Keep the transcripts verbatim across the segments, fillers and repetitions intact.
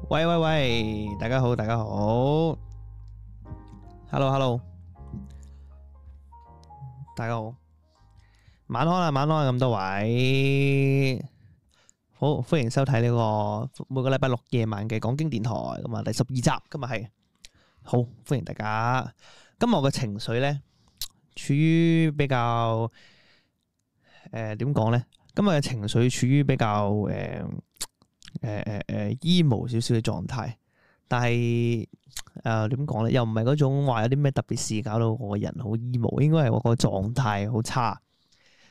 喂喂喂，大家好，大家好 ，Hello Hello，大家好，晚安啊，晚安啊，咁多位，好歡迎收睇呢個每個禮拜六夜晚嘅講經電台，咁啊第十二集，今日係好歡迎大家。今日我嘅情緒咧，處於比較誒點講咧？今日嘅情緒處於比較誒。呃誒誒誒 emo 少少嘅狀態，但係誒點講咧，又唔係嗰種話有啲咩特別事搞到我個人好 emo，應該係我個狀態好差。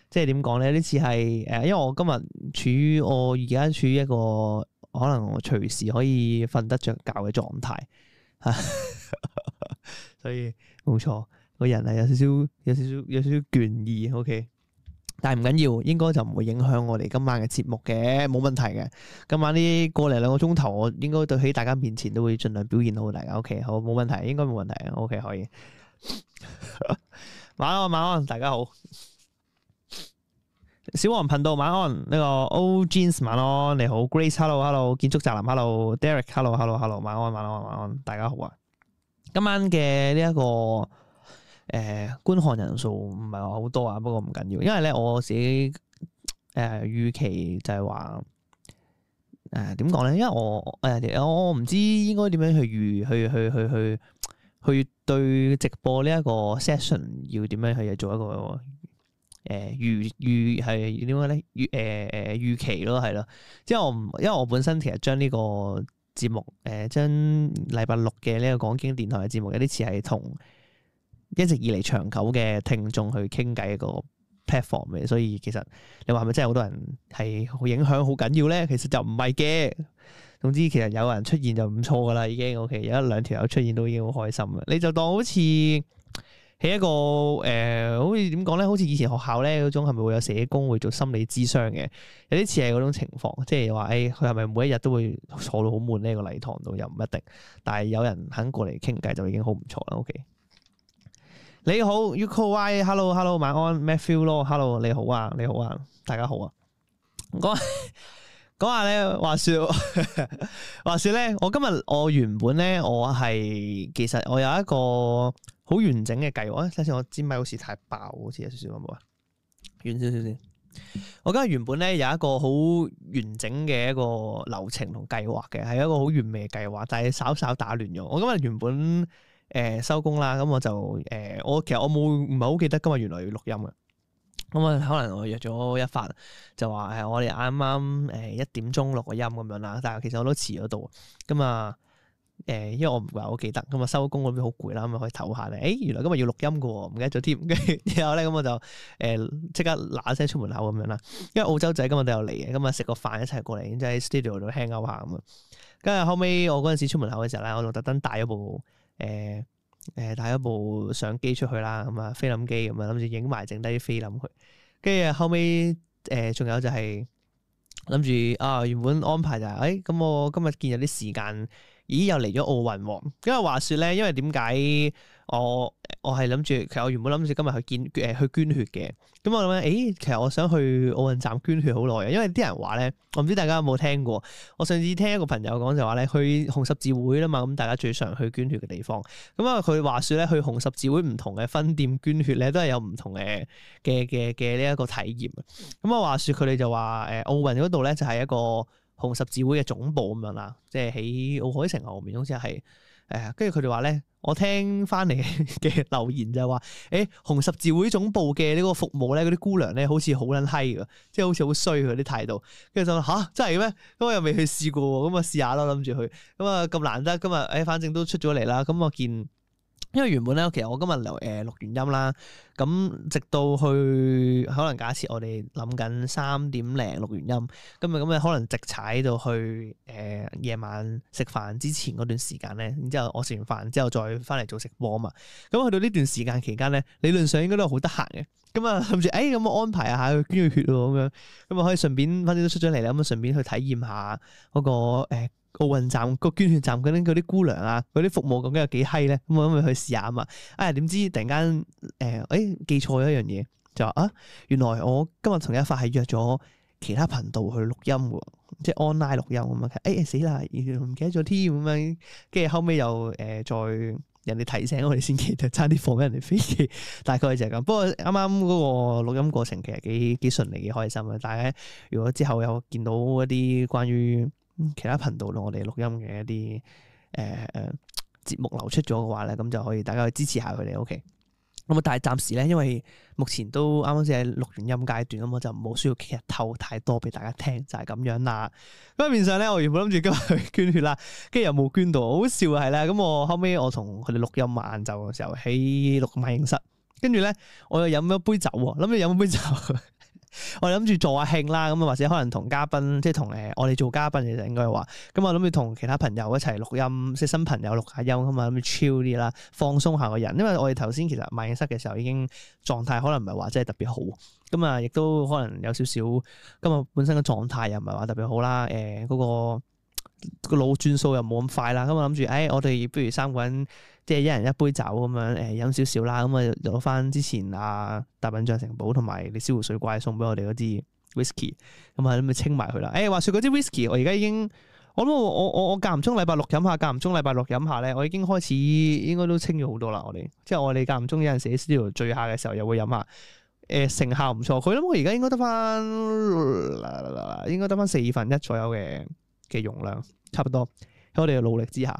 即係點講咧？呢次係誒，因為我今日處於我而家處於一個可能我隨時可以瞓得着覺嘅狀態，所以冇錯，個人係有少少有少少有少少倦意。OK。但係唔緊要，應該就唔會影響我哋今晚嘅節目嘅，冇問題嘅。今晚呢個嚟兩個鐘頭，我應該對喺大家面前都會盡量表現好大家。OK，好，冇問題，應該冇問題。OK，可以。晚安，晚安，大家好。小黃頻道晚安，呢、這個 O Jeans 晚安，你好 Grace，Hello Hello， 建築宅男 Hello Derek，Hello Hello Hello， 晚安晚安晚安，大家好啊。今晚嘅呢一個。誒、呃、觀看人數唔係話好多啊，不過唔緊要，因為咧我自己誒、呃、預期就係話誒點講咧，因為我誒我唔知應該點樣去預去去去去去對直播呢一個 session 要點樣去做一個誒、呃、預預係點講咧預誒誒預期咯，係咯，即係我唔因為我本身其實將呢個節目誒將禮拜六嘅呢個講經電台嘅節目有啲似係同一直以嚟長久嘅聽眾去傾偈一個 platform 嘅，所以其實你話係咪真係好多人係好影響好緊要咧？其實就唔係嘅。總之其實有人出現就唔錯噶啦，已經 OK。有一兩條友出現都已經好開心啦。你就當好似喺一個誒、呃，好似點講咧？好似以前學校咧嗰種係咪會有社工會做心理諮商嘅？有啲似係嗰種情況，即係話誒，佢係咪每一日都會坐到好悶呢個禮堂度？又唔一定，但係有人肯過嚟傾偈就已經好唔錯啦。OK。你好 Uko Y，Hello Hello， 晚安 Matthew 咯 ，Hello 你好啊，你好啊，大家好啊。講講下咧，話說話說咧，我今日我原本咧，我係其實我有一個好完整嘅計劃。睇先，我支咪好似太爆，好似有少少咁啊，遠少少先。我今日原本咧有一個好完整嘅一個流程同計劃嘅，係一個好完美嘅計劃，但係稍稍打亂咗。我今日原本。誒收工啦，咁我就誒、呃、我其實我冇唔係好記得今日原來要錄音嘅，咁啊可能我約咗一發就話誒我哋啱啱誒一點鐘錄個音咁樣啦，但係其實我都遲咗到，咁啊誒因為我唔係好記得，咁啊收工嗰邊好攰啦，咁啊可以唞下咧，誒原來今日要錄音嘅喎，唔記得咗添，跟住之後咧咁我就誒即刻嗱一聲出門口咁樣啦，因為澳洲仔今日都有嚟嘅，咁啊食個飯一齊過嚟，即係喺 studio 度 hang out 下咁啊，跟住後尾我嗰陣時出門口嘅時候咧，我就特登帶咗部。誒誒帶一部相機出去啦，咁啊菲林機咁啊諗住影埋剩低啲菲林佢，跟住後尾誒仲有就係諗住啊原本安排就係誒咁我今日見有啲時間，咦又嚟咗奧運喎，因為話說咧，因為點解我我係諗住其實我原本諗住今日去捐誒、呃、去捐血嘅，咁我諗咧誒其實我想去奧運站捐血好耐嘅，因為啲人話咧，我唔知大家有冇聽過，我上次聽一個朋友講就話咧，去紅十字會啦嘛，咁大家最常去捐血嘅地方，咁啊佢話說咧去紅十字會唔同嘅分店捐血咧，都係有唔同嘅嘅嘅嘅呢一個體驗，咁啊話說佢哋就話誒奧運嗰度咧就係一個紅十字會嘅總部咁樣啦，即係喺奧海城後面好似係。誒，跟住佢哋話咧，我聽翻嚟嘅留言就係話，誒，紅十字會總部嘅呢個服務咧，嗰啲姑娘咧，好似好撚閪㗎，即係好似好衰佢啲態度。跟住就話吓，真係咩？咁我又未去試過，咁啊試下咯，諗住去。咁啊咁難得，今日誒，反正都出咗嚟啦。咁我見。因為原本咧，其實我今日留誒錄完音啦，咁直到去可能假設我哋諗緊三點零錄完音，咁啊咁啊可能直踩到去誒夜、呃、晚食飯之前嗰段時間咧，然之後我食完飯之後再翻嚟做直播啊嘛，咁去到呢段時間期間咧，理論上應該都係好得閒嘅，咁啊諗住誒咁我安排下去捐血咯咁樣，咁啊可以順便反正都出咗嚟啦，咁啊順便去體驗下嗰、嗰個誒。呃奧運站個捐血站嗰啲嗰啲姑娘啊，嗰啲服務究竟有幾閪咧？咁我咁咪去試下啊嘛！啊點知突然間誒，誒、欸、記錯咗一樣嘢，就話啊，原來我今日同一發係約咗其他頻道去錄音喎，即係 online 錄音咁樣。誒、哎、死啦，唔記得咗添咁樣。跟住後尾又誒、呃、再人哋提醒我哋先記得，差啲放俾人哋飛機。大概就係咁。不過啱啱嗰個錄音過程其實幾幾順利，幾開心啊！大家如果之後有見到一啲關於其他頻道我哋錄音嘅一啲誒誒節目流出咗嘅話咧，咁就可以大家去支持下佢哋。OK。咁啊，但係暫時咧，因為目前都啱啱先係錄完音階段，咁我就冇需要其實透太多俾大家聽，就係、是、咁樣啦。咁啊，面上咧，我原本諗住今日去捐血啦，跟住又冇捐到，好笑係啦。咁我後尾我同佢哋錄音晏晝嘅時候喺錄麥影室，跟住咧我又飲咗杯酒喎，諗住飲杯酒。我諗住做下慶啦，咁啊或者可能同嘉賓，即係同誒我哋做嘉賓嘅就應該話，咁我諗住同其他朋友一齊錄音，即係新朋友錄下音咁啊，諗住 chill 啲啦，放鬆下個人。因為我哋頭先其實賣影室嘅時候已經狀態可能唔係話真係特別好，咁啊亦都可能有少少今日本身嘅狀態又唔係話特別好啦，誒、呃、嗰、嗰個。個腦轉數又冇咁快啦，咁我諗住，誒、哎，我哋不如三個人，即係一人一杯酒咁樣，誒，飲少少啦，咁啊，攞翻之前啊大笨象城堡同埋你燒湖水怪送俾我哋嗰支 whisky，咁啊，咁咪清埋佢啦。誒、哎，話說嗰支 whisky，我而家已經，我諗我我我間唔中禮拜六飲下，間唔中禮拜六飲下咧，我已經開始應該都清咗好多啦。我哋，即係我哋間唔中有陣時喺 studio 聚下嘅時候，又會飲下，誒、呃，成效唔錯。佢諗我而家應該得翻，應該得翻四分一左右嘅。嘅容量差唔多，喺我哋嘅努力之下，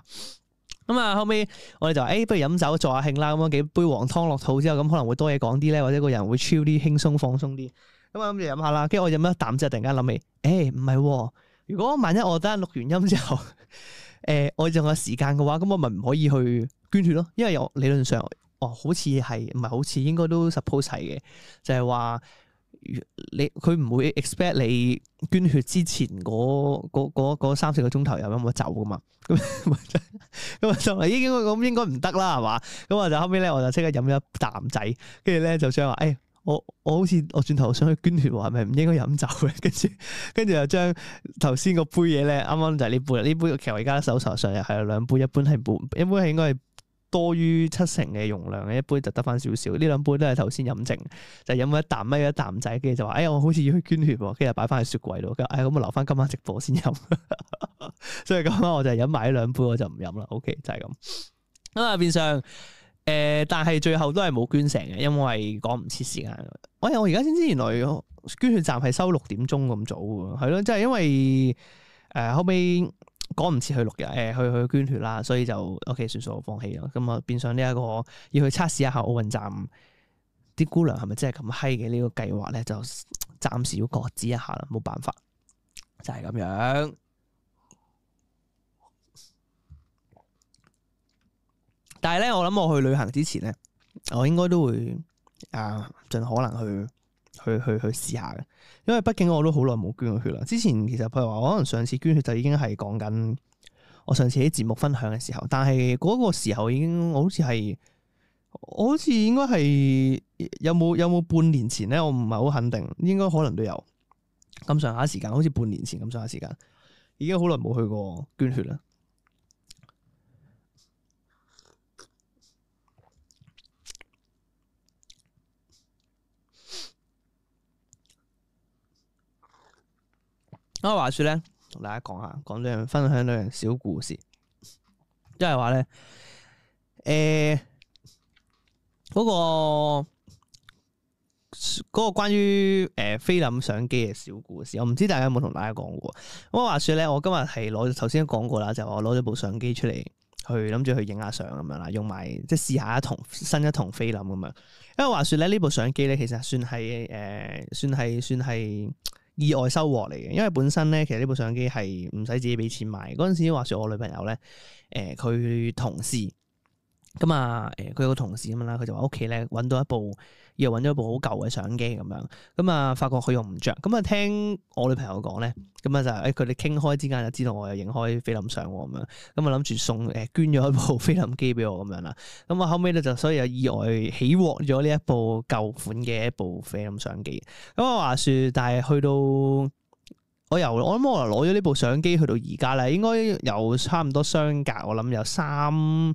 咁啊後尾我哋就誒、欸，不如飲酒助下興啦。咁樣幾杯黃湯落肚之後，咁可能會多嘢講啲咧，或者個人會 chill 啲、輕鬆放鬆啲。咁啊諗住飲下啦，跟住我飲一啖之後，突然間諗起，誒唔係，如果萬一我等陣錄完音之後，誒、欸、我仲有時間嘅話，咁我咪唔可以去捐血咯？因為有理論上，哦好似係唔係好似應該都 suppose 係嘅，就係、是、話。你佢唔會 expect 你捐血之前嗰三四個鐘頭有飲咗酒噶嘛？咁咁啊就已經咁應該唔得啦，係嘛？咁啊就後尾咧，我就即刻飲咗一啖仔，跟住咧就將話，誒、哎，我我好似我轉頭想去捐血，係咪唔應該飲酒嘅？跟住跟住就將頭先個杯嘢咧，啱啱就係呢杯，呢杯其實我而家手頭上又係兩杯，一般係半，一般係應該係。多於七成嘅容量嘅一杯就得翻少少，呢兩杯都係頭先飲剩，就飲咗一啖咪一啖仔，跟住就話，哎我好似要去捐血喎，跟住擺翻喺雪櫃度，哎咁我留翻今晚直播先飲，所以今晚我就飲埋呢兩杯，我就唔飲啦。OK 就係咁。咁啊變相誒、呃，但係最後都係冇捐成嘅，因為趕唔切時間。我我而家先知原來捐血站係收六點鐘咁早嘅，係咯，即係因為誒、呃、後尾。趕唔切去錄嘅，誒、呃、去去捐血啦，所以就 OK 算數，我放棄啦。咁啊，變相呢一個要去測試一下奧運站啲姑娘係咪真係咁閪嘅呢個計劃咧，就暫時要擱置一下啦，冇辦法，就係、是、咁樣。但係咧，我諗我去旅行之前咧，我應該都會啊盡可能去。去去去試下嘅，因為畢竟我都好耐冇捐過血啦。之前其實譬如話，我可能上次捐血就已經係講緊我上次喺節目分享嘅時候，但係嗰個時候已經我好似係，我好似應該係有冇有冇半年前咧，我唔係好肯定，應該可能都有咁上下時間，好似半年前咁上下時間，已經好耐冇去過捐血啦。咁話說咧，同大家講下，講兩樣，分享兩樣小故事，即係話咧，誒、呃，嗰、那個嗰、那個關於誒、呃、菲林相機嘅小故事，我唔知大家有冇同大家講過。咁話說咧，我今日係攞頭先都講過啦，就係、我攞咗部相機出嚟，去諗住去影下相咁樣啦，用埋即係試下一筒新一筒菲林咁樣。因為話說咧，呢部相機咧，其實算係誒、呃，算係算係。意外收穫嚟嘅，因為本身咧，其實呢部相機係唔使自己俾錢買。嗰陣時話說我女朋友咧，誒、呃、佢同事咁啊，誒佢有個同事咁樣啦，佢就話屋企咧揾到一部，又揾咗一部好舊嘅相機咁樣，咁啊發覺佢用唔着，咁啊聽我女朋友講咧，咁啊就誒佢哋傾開之間就知道我有影開菲林相咁樣，咁啊諗住送誒捐咗一部菲林機俾我咁樣啦，咁啊後尾咧就所以有意外起獲咗呢一部舊款嘅一部菲林相機，咁啊話說，但係去到我由我諗我攞咗呢部相機去到而家咧，應該有差唔多相隔，我諗有三。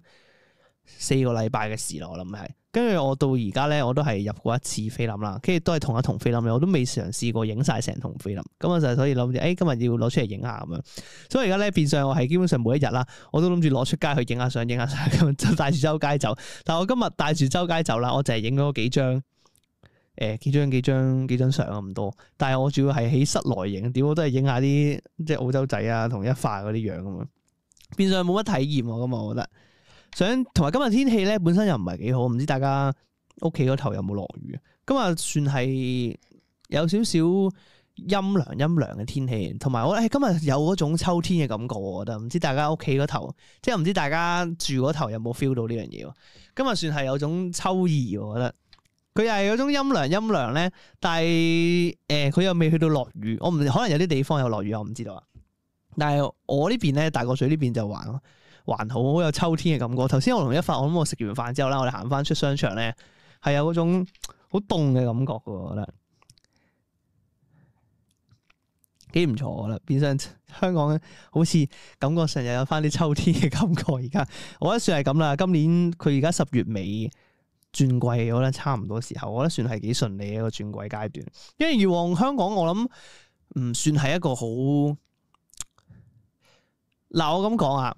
四個禮拜嘅事咯，我諗係。跟住我到而家咧，我都係入過一次菲林啦，跟住都係同一筒菲林，我都未嘗試過影晒成筒菲林。咁我就所以諗住，誒、哎、今日要攞出嚟影下咁樣。所以而家咧變相我係基本上每一日啦，我都諗住攞出街去影下相、影下相咁，就帶住周街走。但係我今日帶住周街走啦，我就係影咗幾張，誒、呃、幾張幾張幾張相咁多。但係我主要係喺室內影，點我都係影下啲即係澳洲仔啊同一化嗰啲樣咁樣。變相冇乜體驗喎，咁我覺得。想同埋今日天氣咧，本身又唔係幾好，唔知大家屋企嗰頭有冇落雨？今日算係有少少陰涼陰涼嘅天氣，同埋我誒今日有嗰種秋天嘅感覺，我覺得唔知大家屋企嗰頭，即係唔知大家住嗰頭有冇 feel 到呢樣嘢？今日算係有種秋意，我覺得佢又係有種陰涼陰涼咧，但係誒佢又未去到落雨，我唔可能有啲地方有落雨，我唔知道啊。但係我呢邊咧，大角咀呢邊就還還好，好有秋天嘅感覺。頭先我同一發，我諗我食完飯之後啦，我哋行翻出商場咧，係有嗰種好凍嘅感覺嘅，我覺得幾唔錯。我覺得變相香港好似感覺上又有翻啲秋天嘅感覺。而家我覺得算係咁啦。今年佢而家十月尾轉季，我覺得差唔多時候，我覺得算係幾順利嘅一個轉季階段。因為以往香港我諗唔算係一個好嗱，我咁講啊。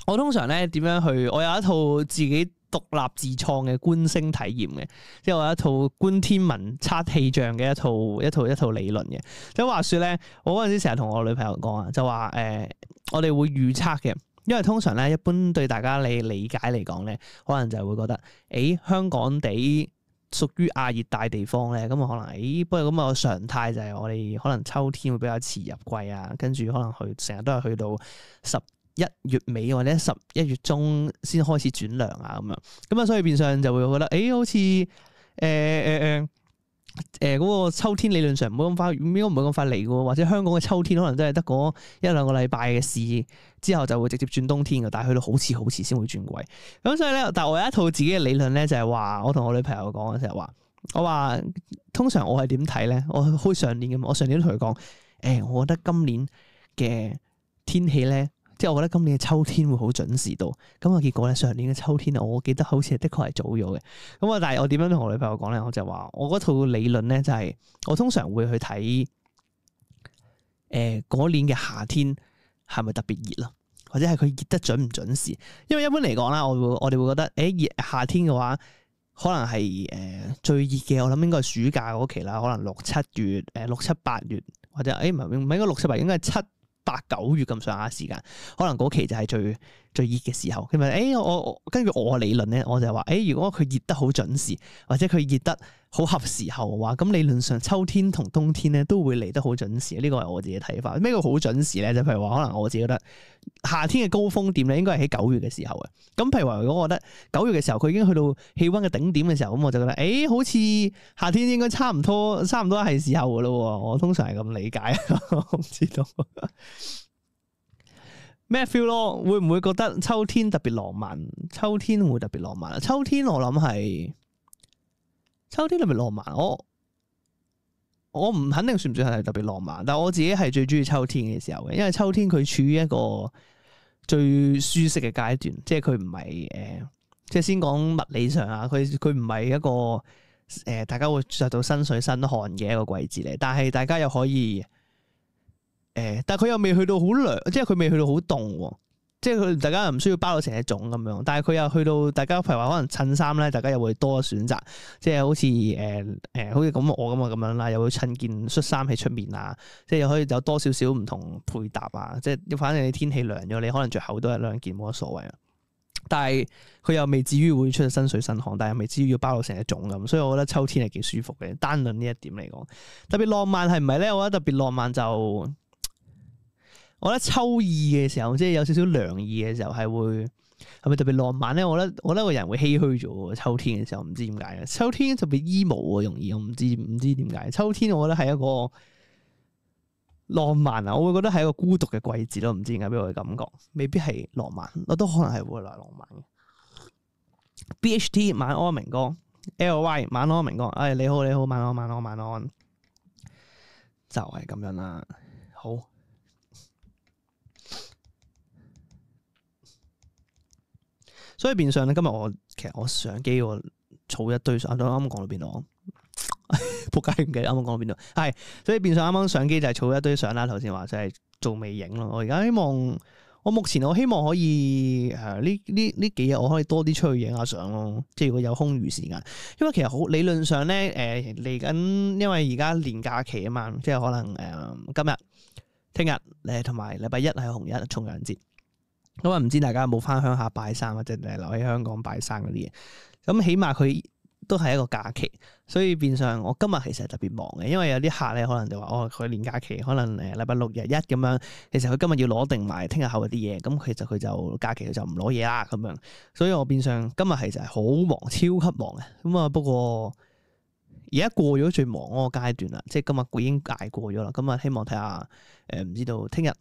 我通常咧點樣去？我有一套自己獨立自創嘅觀星體驗嘅，即係我有一套觀天文測氣象嘅一套一套一套理論嘅。即係話說咧，我嗰陣時成日同我女朋友講啊，就話誒、呃，我哋會預測嘅，因為通常咧一般對大家你理解嚟講咧，可能就係會覺得，誒、欸、香港地屬於亞熱帶地方咧，咁啊可能誒、欸，不過咁個常態就係我哋可能秋天會比較遲入季啊，跟住可能去成日都係去到十一月尾或者十一月中先開始轉涼啊咁樣，咁啊所以變相就會覺得，誒、欸、好似誒誒誒誒嗰個秋天理論上唔會咁快，應該唔會咁快嚟嘅喎，或者香港嘅秋天可能真係得嗰一兩個禮拜嘅事，之後就會直接轉冬天嘅，但係去到好遲好遲先會轉季。咁所以咧，但係我有一套自己嘅理論咧，就係話我同我女朋友講嘅就係話，我話通常我係點睇咧？我好似上年咁，我上年都同佢講，誒、欸，我覺得今年嘅天氣咧。即係我覺得今年嘅秋天會好準時到，咁啊結果咧上年嘅秋天我記得好似係的確係早咗嘅。咁啊，但係我點樣同我女朋友講咧？我就話我嗰套理論咧就係我通常會去睇誒嗰年嘅夏天係咪特別熱咯，或者係佢熱得準唔準時？因為一般嚟講啦，我會我哋會覺得誒熱夏天嘅話，可能係誒、呃、最熱嘅，我諗應該係暑假嗰期啦，可能六七月誒六七八月或者誒唔係唔係應該六七八月，應該係七八九月咁上下時間，可能嗰期就係最最熱嘅時候。佢咪誒我我根據我嘅理論咧，我就係話誒，如果佢熱得好準時，或者佢熱得好合時候嘅話，咁理論上秋天同冬天咧都會嚟得好準時。呢個係我自己睇法。咩叫好準時咧？就譬如話，可能我自己覺得夏天嘅高峰點咧，應該係喺九月嘅時候嘅。咁譬如話，如果我覺得九月嘅時候佢已經去到氣溫嘅頂點嘅時候，咁我就覺得誒、欸，好似夏天應該差唔多，差唔多係時候噶咯。我通常係咁理解，我唔知道咩 feel 咯？會唔會覺得秋天特別浪漫？秋天會特別浪漫啊！秋天我諗係秋天特別浪漫。我我唔肯定算唔算係特別浪漫，但係我自己係最中意秋天嘅時候嘅，因為秋天佢處於一個最舒適嘅階段，即係佢唔係誒，即係先講物理上啊，佢佢唔係一個誒、呃，大家會着到身水身汗嘅一個季節嚟，但係大家又可以。誒、欸，但係佢又未去到好涼，即係佢未去到好凍，即係佢大家又唔需要包到成隻粽咁樣。但係佢又去到，大家譬如話可能襯衫咧，大家又會多選擇，即係好似誒誒，好似咁我咁啊咁樣啦，又會襯件恤衫喺出面啊，即係又可以有多少少唔同配搭啊，即係反正你天氣涼咗，你可能着厚多一兩件冇乜所謂啊。但係佢又未至於會出身水身汗，但係又未至於要包到成隻粽咁，所以我覺得秋天係幾舒服嘅。單論呢一點嚟講，特別浪漫係唔係咧？我覺得特別浪漫就。我覺得秋意嘅時候，即係有少少涼意嘅時候，係會係咪特別浪漫咧？我覺得我覺得個人會唏噓咗。秋天嘅時候唔知點解嘅，秋天特別 emo 啊，容易我唔知唔知點解。秋天我覺得係一個浪漫啊，我會覺得係一個孤獨嘅季節咯，唔知點解俾我嘅感覺，未必係浪漫，我都可能係會來浪漫嘅。B H T 晚安明哥 ，L Y 晚安明哥，哎你好你好，晚安晚安晚安，就係咁樣啦，好。所以變相咧，今日我其實我相機我儲一堆相，啱啱講到邊度？仆街唔記得啱啱講到邊度？係，所以變相啱啱相機就係儲一堆相啦。頭先話就係做微影咯。我而家希望，我目前我希望可以誒呢呢呢幾日我可以多啲出去影下相咯。即係如果有空餘時間，因為其實好理論上咧誒嚟緊，因為而家年假期啊嘛，即係可能誒、呃、今日、聽日誒同埋禮拜一係紅日重陽節。咁啊唔知大家有冇翻鄉下拜山或者誒留喺香港拜山嗰啲嘢？咁起碼佢都係一個假期，所以變相我今日其實係特別忙嘅，因為有啲客咧可能就話哦佢年假期可能誒禮拜六日一咁樣，其實佢今日要攞定埋聽日後嗰啲嘢，咁其實佢就假期佢就唔攞嘢啦咁樣，所以我變相今日其實係好忙，超級忙嘅。咁啊不過而家過咗最忙嗰個階段啦，即係今日已經捱過咗啦。咁啊希望睇下誒唔知道聽日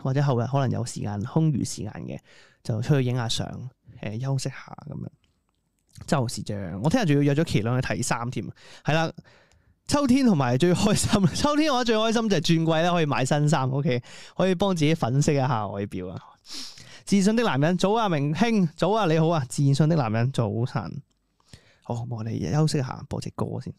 或者後日可能有時間空餘時間嘅，就出去影下相，誒、呃、休息下咁樣。就是這樣，我聽日仲要約咗麒麟去睇衫添，係啦。秋天同埋最開心，秋天我覺得最開心就係轉季咧，可以買新衫，OK，可以幫自己粉飾一下外表啊。自信的男人，早啊，明兄，早啊，你好啊，自信的男人，早晨。好，我哋休息下，播隻歌先。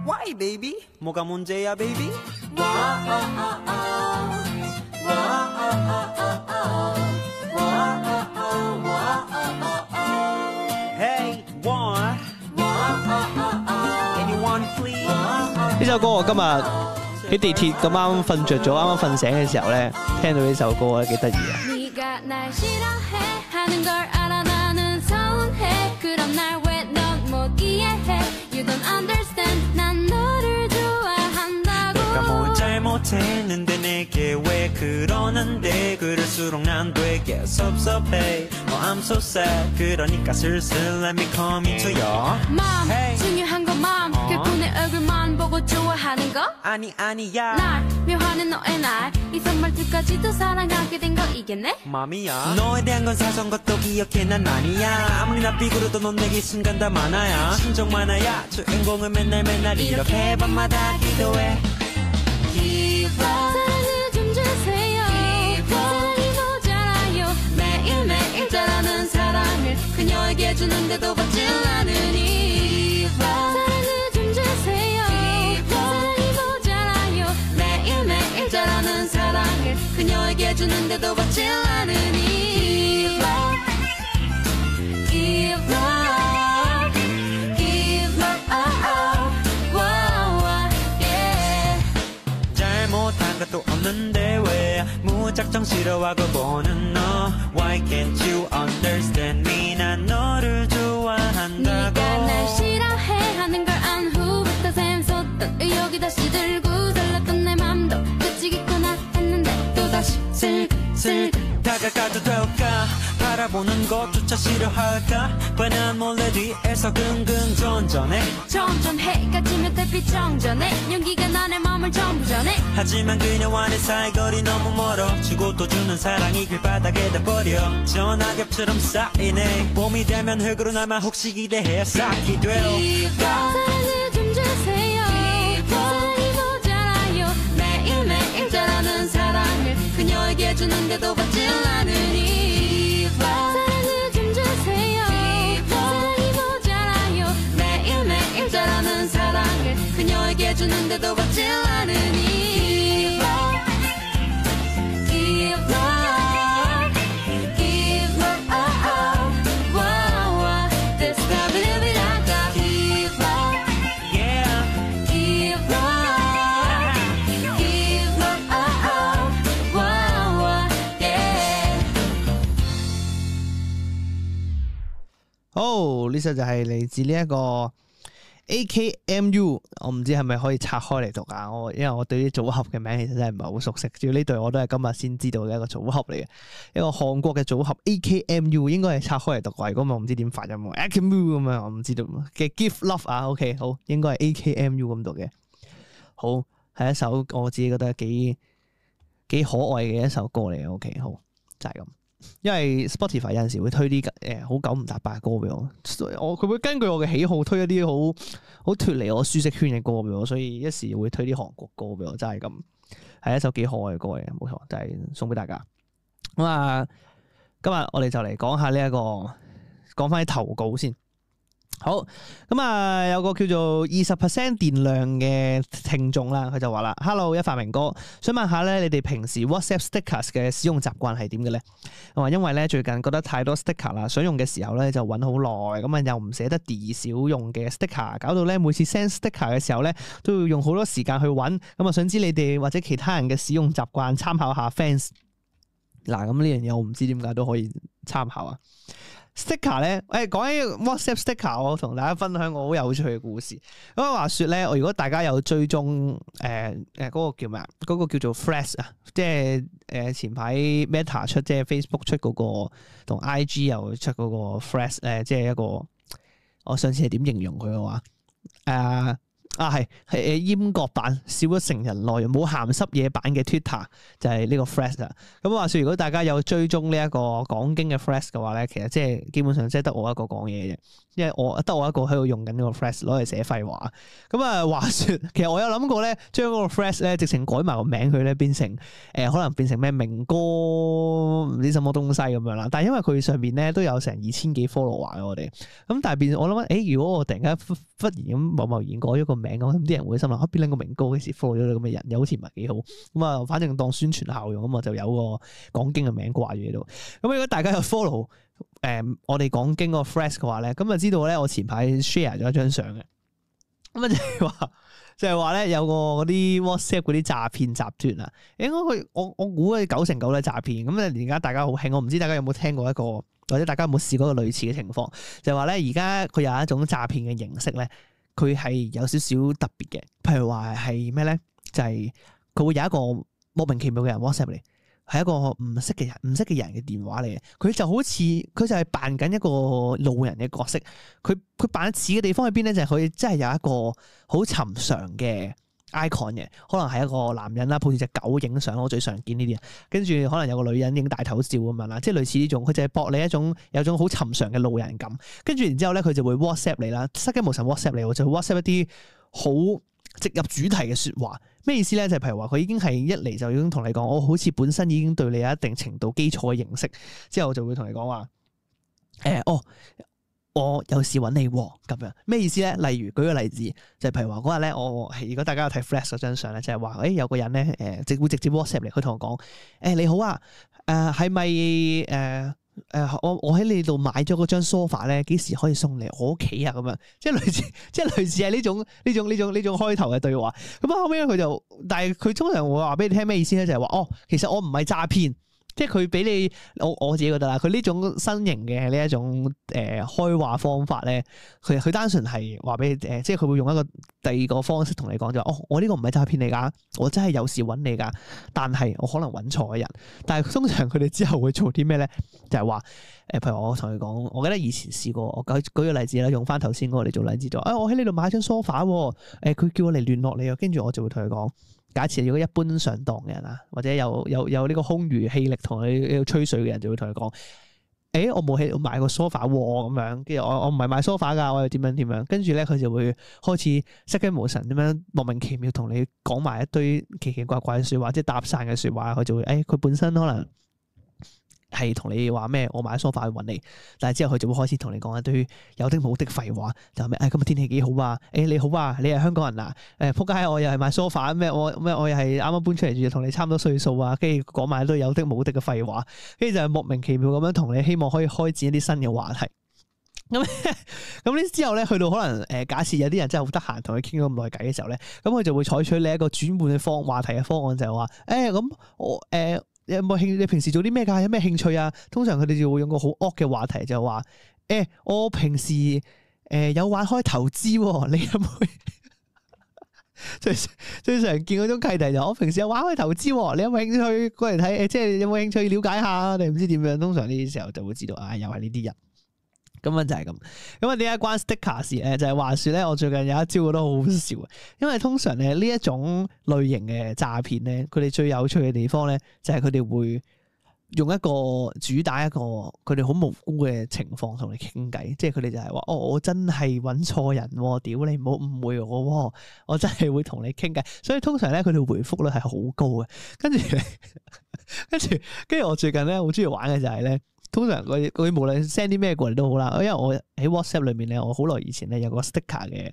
Why baby? 뭐가 문제야 baby? Hey one, anyone please? 呢首歌我今日喺地鐵咁啱瞓着咗，啱啱瞓醒嘅時候咧，聽到呢首歌咧幾得意啊！사랑을 좀 주세요. 사랑이 모자라요. 매일매일 자라는 사랑을 그녀에게 주는데도 받질 않으니 사랑을 좀 주세요. 사랑이 모자라요. 매일매일 자라는 사랑을 그녀에게 주는데도 받질 않으니 Give love, give love, oh, oh, wow, yeah. 잘못한 것도 없는데 왜 무작정 싫어하고 보는 너 Why can't you understand me 난 너를 좋아한다고 네가 날 싫어해 하는 걸 안 후부터 샘솟던 의욕이 다시 들고 설렜던 내 맘도 그치겠구나 했는데 또다시 슬슬 다가가도 될까 바라보는 것조차 싫어할까 뻔한 몰래 뒤에서 긍긍 전전해 점점 해가 지면 달빛 정전해 연기가 나의 맘을 전부 전해 하지만 그녀와 내 사이거리 너무 멀어 주고 또 주는 사랑이 길바닥에다 버려 전화겹처럼 쌓이네 봄이 되면 흙으로 남아 혹시 기대해 쌓기 돼요 사랑을 좀 주세요 사랑이 모자라요 매일매일 자라는 사랑을 그녀에게 주는데도 받질 않으니 사랑을 좀 주세요 사랑이 모자라요 매일매일 자라는 사랑을 그녀에게 주는데도 받질 않으니 Give love, give love, oh, oh, wow, wow. This love will be like a give love, Yeah give love, give love, oh, oh, wow, wow, yeah. 好，呢首就係嚟自呢一個 A K M U， 我唔知係咪可以拆開嚟讀啊？我因為我對啲組合嘅名其實真係唔係好熟悉，主要呢隊我都係今日先知道嘅一個組合嚟嘅，一個韓國嘅組合 A K M U 應該係拆開嚟讀啩，如果唔係我唔知點發音喎 A K M U 咁樣，我唔知道嘅 Give Love 啊 ，OK 好，應該係 A K M U 咁讀嘅，好係一首我自己覺得幾幾可愛嘅一首歌嚟嘅，OK 好就係咁。因為 Spotify 有陣時會推啲誒好九唔搭八嘅歌俾我，我佢會根據我嘅喜好推一啲好好脫離我舒適圈嘅歌俾我，所以一時會推啲韓國歌俾我，真係咁係一首幾可愛嘅歌嚟，冇錯，就係、是、送俾大家。咁啊，今日我哋就嚟講下呢、這、一個，講翻啲投稿先。好，咁啊，有個叫做二十 percent 電量嘅聽眾啦，佢就話啦 ，Hello 一發明哥，想問下咧，你哋平時 WhatsApp stickers 嘅使用習慣係點嘅咧？我話因為咧最近覺得太多 sticker 啦，想用嘅時候咧就揾好耐，咁啊又唔捨得 delete 少用嘅 sticker，搞到咧每次 send sticker 嘅時候咧都要用好多時間去揾，咁啊想知你哋或者其他人嘅使用習慣，參考下 fans。嗱，咁呢樣嘢我唔知點解都可以參考啊。sticker 咧，誒講起 WhatsApp sticker，我同大家分享個好有趣嘅故事。咁啊話説咧，我如果大家有追蹤誒誒嗰個叫咩啊？嗰、嗰個叫做 Threads 啊，即係誒、呃、前排 Meta 出，即係 Facebook 出嗰、嗰個，同 I G 又出嗰個 Threads 誒，即係一個我上次係點形容佢嘅話誒。呃啊，係係誒閹割版少咗成人內容冇鹹濕嘢版嘅 Twitter 就係呢個 Threads 啦。咁話說如果大家有追蹤呢一個講經嘅 Threads 嘅話咧，其實即係基本上即係得我一個講嘢嘅，因為我得我一個喺度用緊呢個 Threads 攞嚟寫廢話。咁啊話說，其實我有諗過咧，將嗰個 Threads 咧直情改埋個名佢咧，變成誒、呃、可能變成咩明哥唔知什麼東西咁樣啦。但係因為佢上邊咧都有成二千幾 follower 嘅我哋，咁但係變我諗誒，如果我突然間忽忽然咁貿貿然改咗個名，咁啲人會心諗啊，邊兩個明哥幾時 follow 咗你咁嘅人，又好似唔係幾好。咁啊，反正當宣傳效用，咁啊就有個講經嘅名掛住喺度。咁如果大家有 follow 誒、呃、我哋講經嗰個 Threads 嘅話咧，咁就知道咧我前排 share 咗一張相嘅。咁啊就係話就係話咧有個嗰啲 WhatsApp 嗰啲詐騙集團啊，應該佢我我估佢九成九都係詐騙。咁啊而家大家好興，我唔知大家有冇聽過一個，或者大家有冇試過一個類似嘅情況，就係話咧而家佢有一種詐騙嘅形式咧。佢係有少少特別嘅，譬如話係咩咧？就係、是、佢會有一個莫名其妙嘅人 WhatsApp 嚟，係一個唔識嘅人、唔識嘅人嘅電話嚟嘅。佢就好似佢就係扮緊一個路人嘅角色。佢佢扮似嘅地方喺邊咧？就係、是、佢真係有一個好尋常嘅 icon 嘅，可能係一個男人啦，抱住隻狗影相，我最常見呢啲啊。跟住可能有個女人影大頭照咁樣啦，即係類似呢種。佢就係博你一種有種好尋常嘅路人感。跟住然之後咧，佢就會 WhatsApp 你啦，失驚無神 WhatsApp 你，就 WhatsApp 一啲好直入主題嘅説話。咩意思咧？就係、是、譬如話佢已經係一嚟就已經同你講，我好似本身已經對你有一定程度基礎嘅認識，之後就會同你講話誒哦。我有事揾你喎，咁樣咩意思咧？例如舉個例子，就係、譬如話嗰日咧，我如果大家有睇 Flash 嗰張相咧，就係話誒有個人咧誒直會直接 WhatsApp 嚟，佢同我講誒、欸、你好啊，誒係咪誒誒我我喺你度買咗嗰張 sofa 咧，幾時可以送嚟我屋企啊？咁樣即係類似即係類似係呢種呢種呢種呢種開頭嘅對話。咁啊後尾佢就，但係佢通常會話俾你聽咩意思咧？就係、係、話哦，其實我唔係詐騙。即係佢俾你，我我自己覺得啦，佢呢種新型嘅呢一種誒、呃、開話方法咧，佢佢單純係話俾你誒，即係佢會用一個第二個方式同你講就話，哦，我呢個唔係詐騙你㗎，我真係有事揾你㗎，但係我可能揾錯人。但係通常佢哋之後會做啲咩咧？就係話誒，譬如我同佢講，我記得以前試過，我舉舉個例子啦，用翻頭先嗰個嚟做例子就，誒、哎、我喺呢度買張 sofa 喎，誒佢叫我嚟聯絡你啊，跟住我就會同佢講。假設如果一般上當嘅人啊，或者有有有呢個空餘氣力同你吹水嘅人，就會同佢講：誒、欸，我冇喺度買個 sofa 喎，咁樣。跟住我我唔係買 sofa 㗎，我又點樣點樣。跟住咧，佢就會開始失驚無神咁樣莫名其妙同你講埋一堆奇奇怪怪嘅説話，即係搭訕嘅説話。佢就會誒，佢、欸、本身可能係同你話咩？我買 sofa 去揾你，但係之後佢就會開始同你講一堆有的冇的廢話，就係咩？誒、哎，今日天氣幾好啊？誒、欸，你好啊，你係香港人啊？誒，仆街，我又係買 sofa 咩？我咩？我又係啱啱搬出嚟住，同你差唔多歲數啊。跟住講埋一堆有的冇的嘅廢話，跟住就係莫名其妙咁樣同你希望可以開展一啲新嘅話題。咁咁呢之後咧，去到可能誒、呃，假設有啲人真係好得閒同佢傾咗咁耐偈嘅時候咧，咁佢就會採取你一個轉換嘅方話題嘅方案，就係話誒，咁、欸、我誒。呃有冇興？你平時做啲咩㗎？有咩興趣啊？通常佢哋就會用個好惡嘅話題，就話誒、欸，我平時誒、呃、有玩開投資喎，你有冇？最最常見嗰種契弟就我平時有玩開投資喎，你有冇興趣過嚟睇？誒，即係有冇興趣了解下？你唔知點樣？通常呢啲時候就會知道啊，又係呢啲人。咁樣就係咁，咁啊點解關 sticker 事咧？就係、是、話說咧，我最近有一招覺得好好笑嘅，因為通常咧呢一種類型嘅詐騙咧，佢哋最有趣嘅地方咧，就係佢哋會用一個主打一個佢哋好無辜嘅情況同你傾偈，即係佢哋就係話：哦，我真係揾錯人喎，屌你唔好誤會我喎，我真係會同你傾偈。所以通常咧，佢哋回覆率係好高嘅。跟住，跟住，跟住我最近咧好中意玩嘅就係咧，通常佢佢無論 send 啲咩過嚟都好啦，因為我喺 WhatsApp 裏面咧，我好耐以前咧有個 sticker 嘅。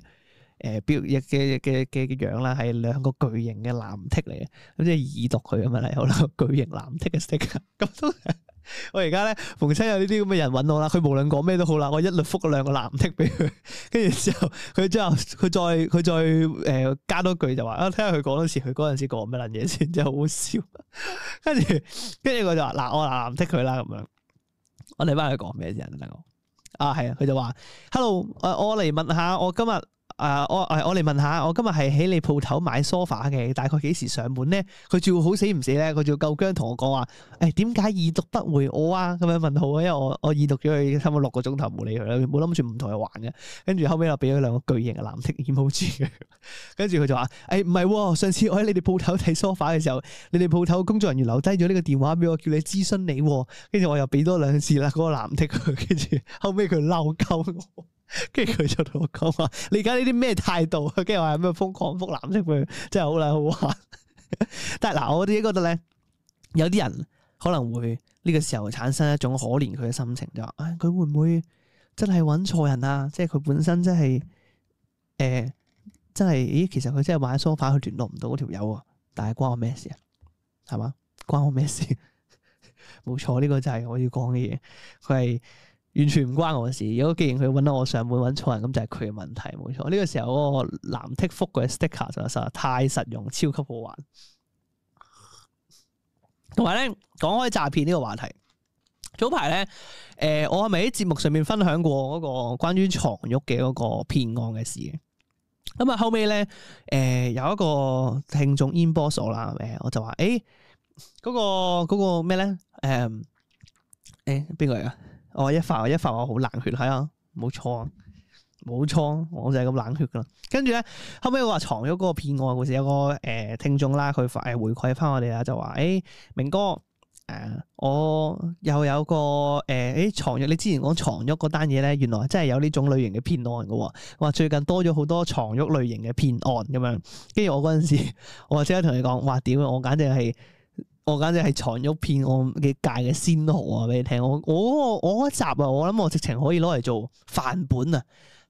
誒標嘅嘅嘅嘅樣啦，係兩個巨型嘅藍剔嚟嘅，咁即係已讀佢咁樣嚟，好啦，巨型藍剔嘅 sticker。咁通常我而家咧逢親有呢啲咁嘅人揾我啦，佢無論講咩都好啦，我一律覆兩個藍剔俾佢，跟住之後佢之後佢再佢再誒、呃、加多句就話啊，睇下佢講多次，佢嗰陣時講乜撚嘢先，真係好好笑。跟住跟住佢就話嗱，我藍剔佢啦咁樣，我哋翻去講咩先啊？我啊係啊，佢就話 hello，誒我嚟問下我今日。誒、uh, 我誒我嚟問下，我今日係喺你鋪頭買 sofa 嘅，大概幾時上門咧？佢仲要好死唔死咧，佢仲要夠薑同我講話，誒點解已讀不回我啊？咁樣問號啊，因為我我已讀咗佢差唔多六個鐘頭冇理佢啦，冇諗住唔同佢玩嘅。跟住後尾又俾咗兩個巨型嘅藍剔 emoji 佢，跟住佢就話：誒唔係，上次我喺你哋鋪頭睇 sofa 嘅時候，你哋鋪頭工作人員留低咗呢個電話俾我，叫你諮詢你，跟住我又俾多兩次啦嗰、那個藍剔佢，跟住後尾佢嬲鳩我。跟住佢就同我講話：你而家呢啲咩態度？跟住話咩瘋狂覆藍剔佢，真係好撚好玩。但係嗱，我自己覺得咧，有啲人可能會呢個時候產生一種可憐佢嘅心情，就話：唉、哎，佢會唔會真係揾錯人啊？即係佢本身真係誒、呃，真係，咦？其實佢真係買梳化，佢聯絡唔到嗰條友啊！但係關我咩事啊？係嘛？關我咩事？冇錯，呢、這個就係我要講嘅嘢。佢係。完全唔關我嘅事。如果既然佢揾到我上門揾錯人，咁就係佢嘅問題，冇錯。呢、這個時候嗰個藍剔覆嘅 sticker 就實在太實用，超級好玩。同埋咧，講開詐騙呢個話題，早排咧，誒、呃，我係咪喺節目上面分享過嗰個關於床褥嘅嗰個騙案嘅事嘅？咁啊，後尾咧，誒、呃，有一個聽眾 inbox 我啦，誒，我就話，誒、欸，嗰、那個嗰、那個咩咧？誒、呃，誒、欸，邊個嚟噶？我、哦、一發一發我好冷血，係啊，冇錯啊，冇錯，我就係咁冷血噶啦。跟住咧，後尾我話床褥嗰個騙案故事，有個誒、呃、聽眾啦，佢誒回饋翻我哋啦，就話誒、欸、明哥誒、呃，我又有個誒誒床褥，你之前講床褥嗰單嘢咧，原來真係有呢種類型嘅騙案噶。話最近多咗好多床褥類型嘅騙案咁樣，跟住我嗰陣時，我即刻同你講，哇屌，我簡直係〜我簡直係床褥騙案嘅界嘅先河啊！俾你聽，我我我嗰集啊，我諗我直情可以攞嚟做範本啊，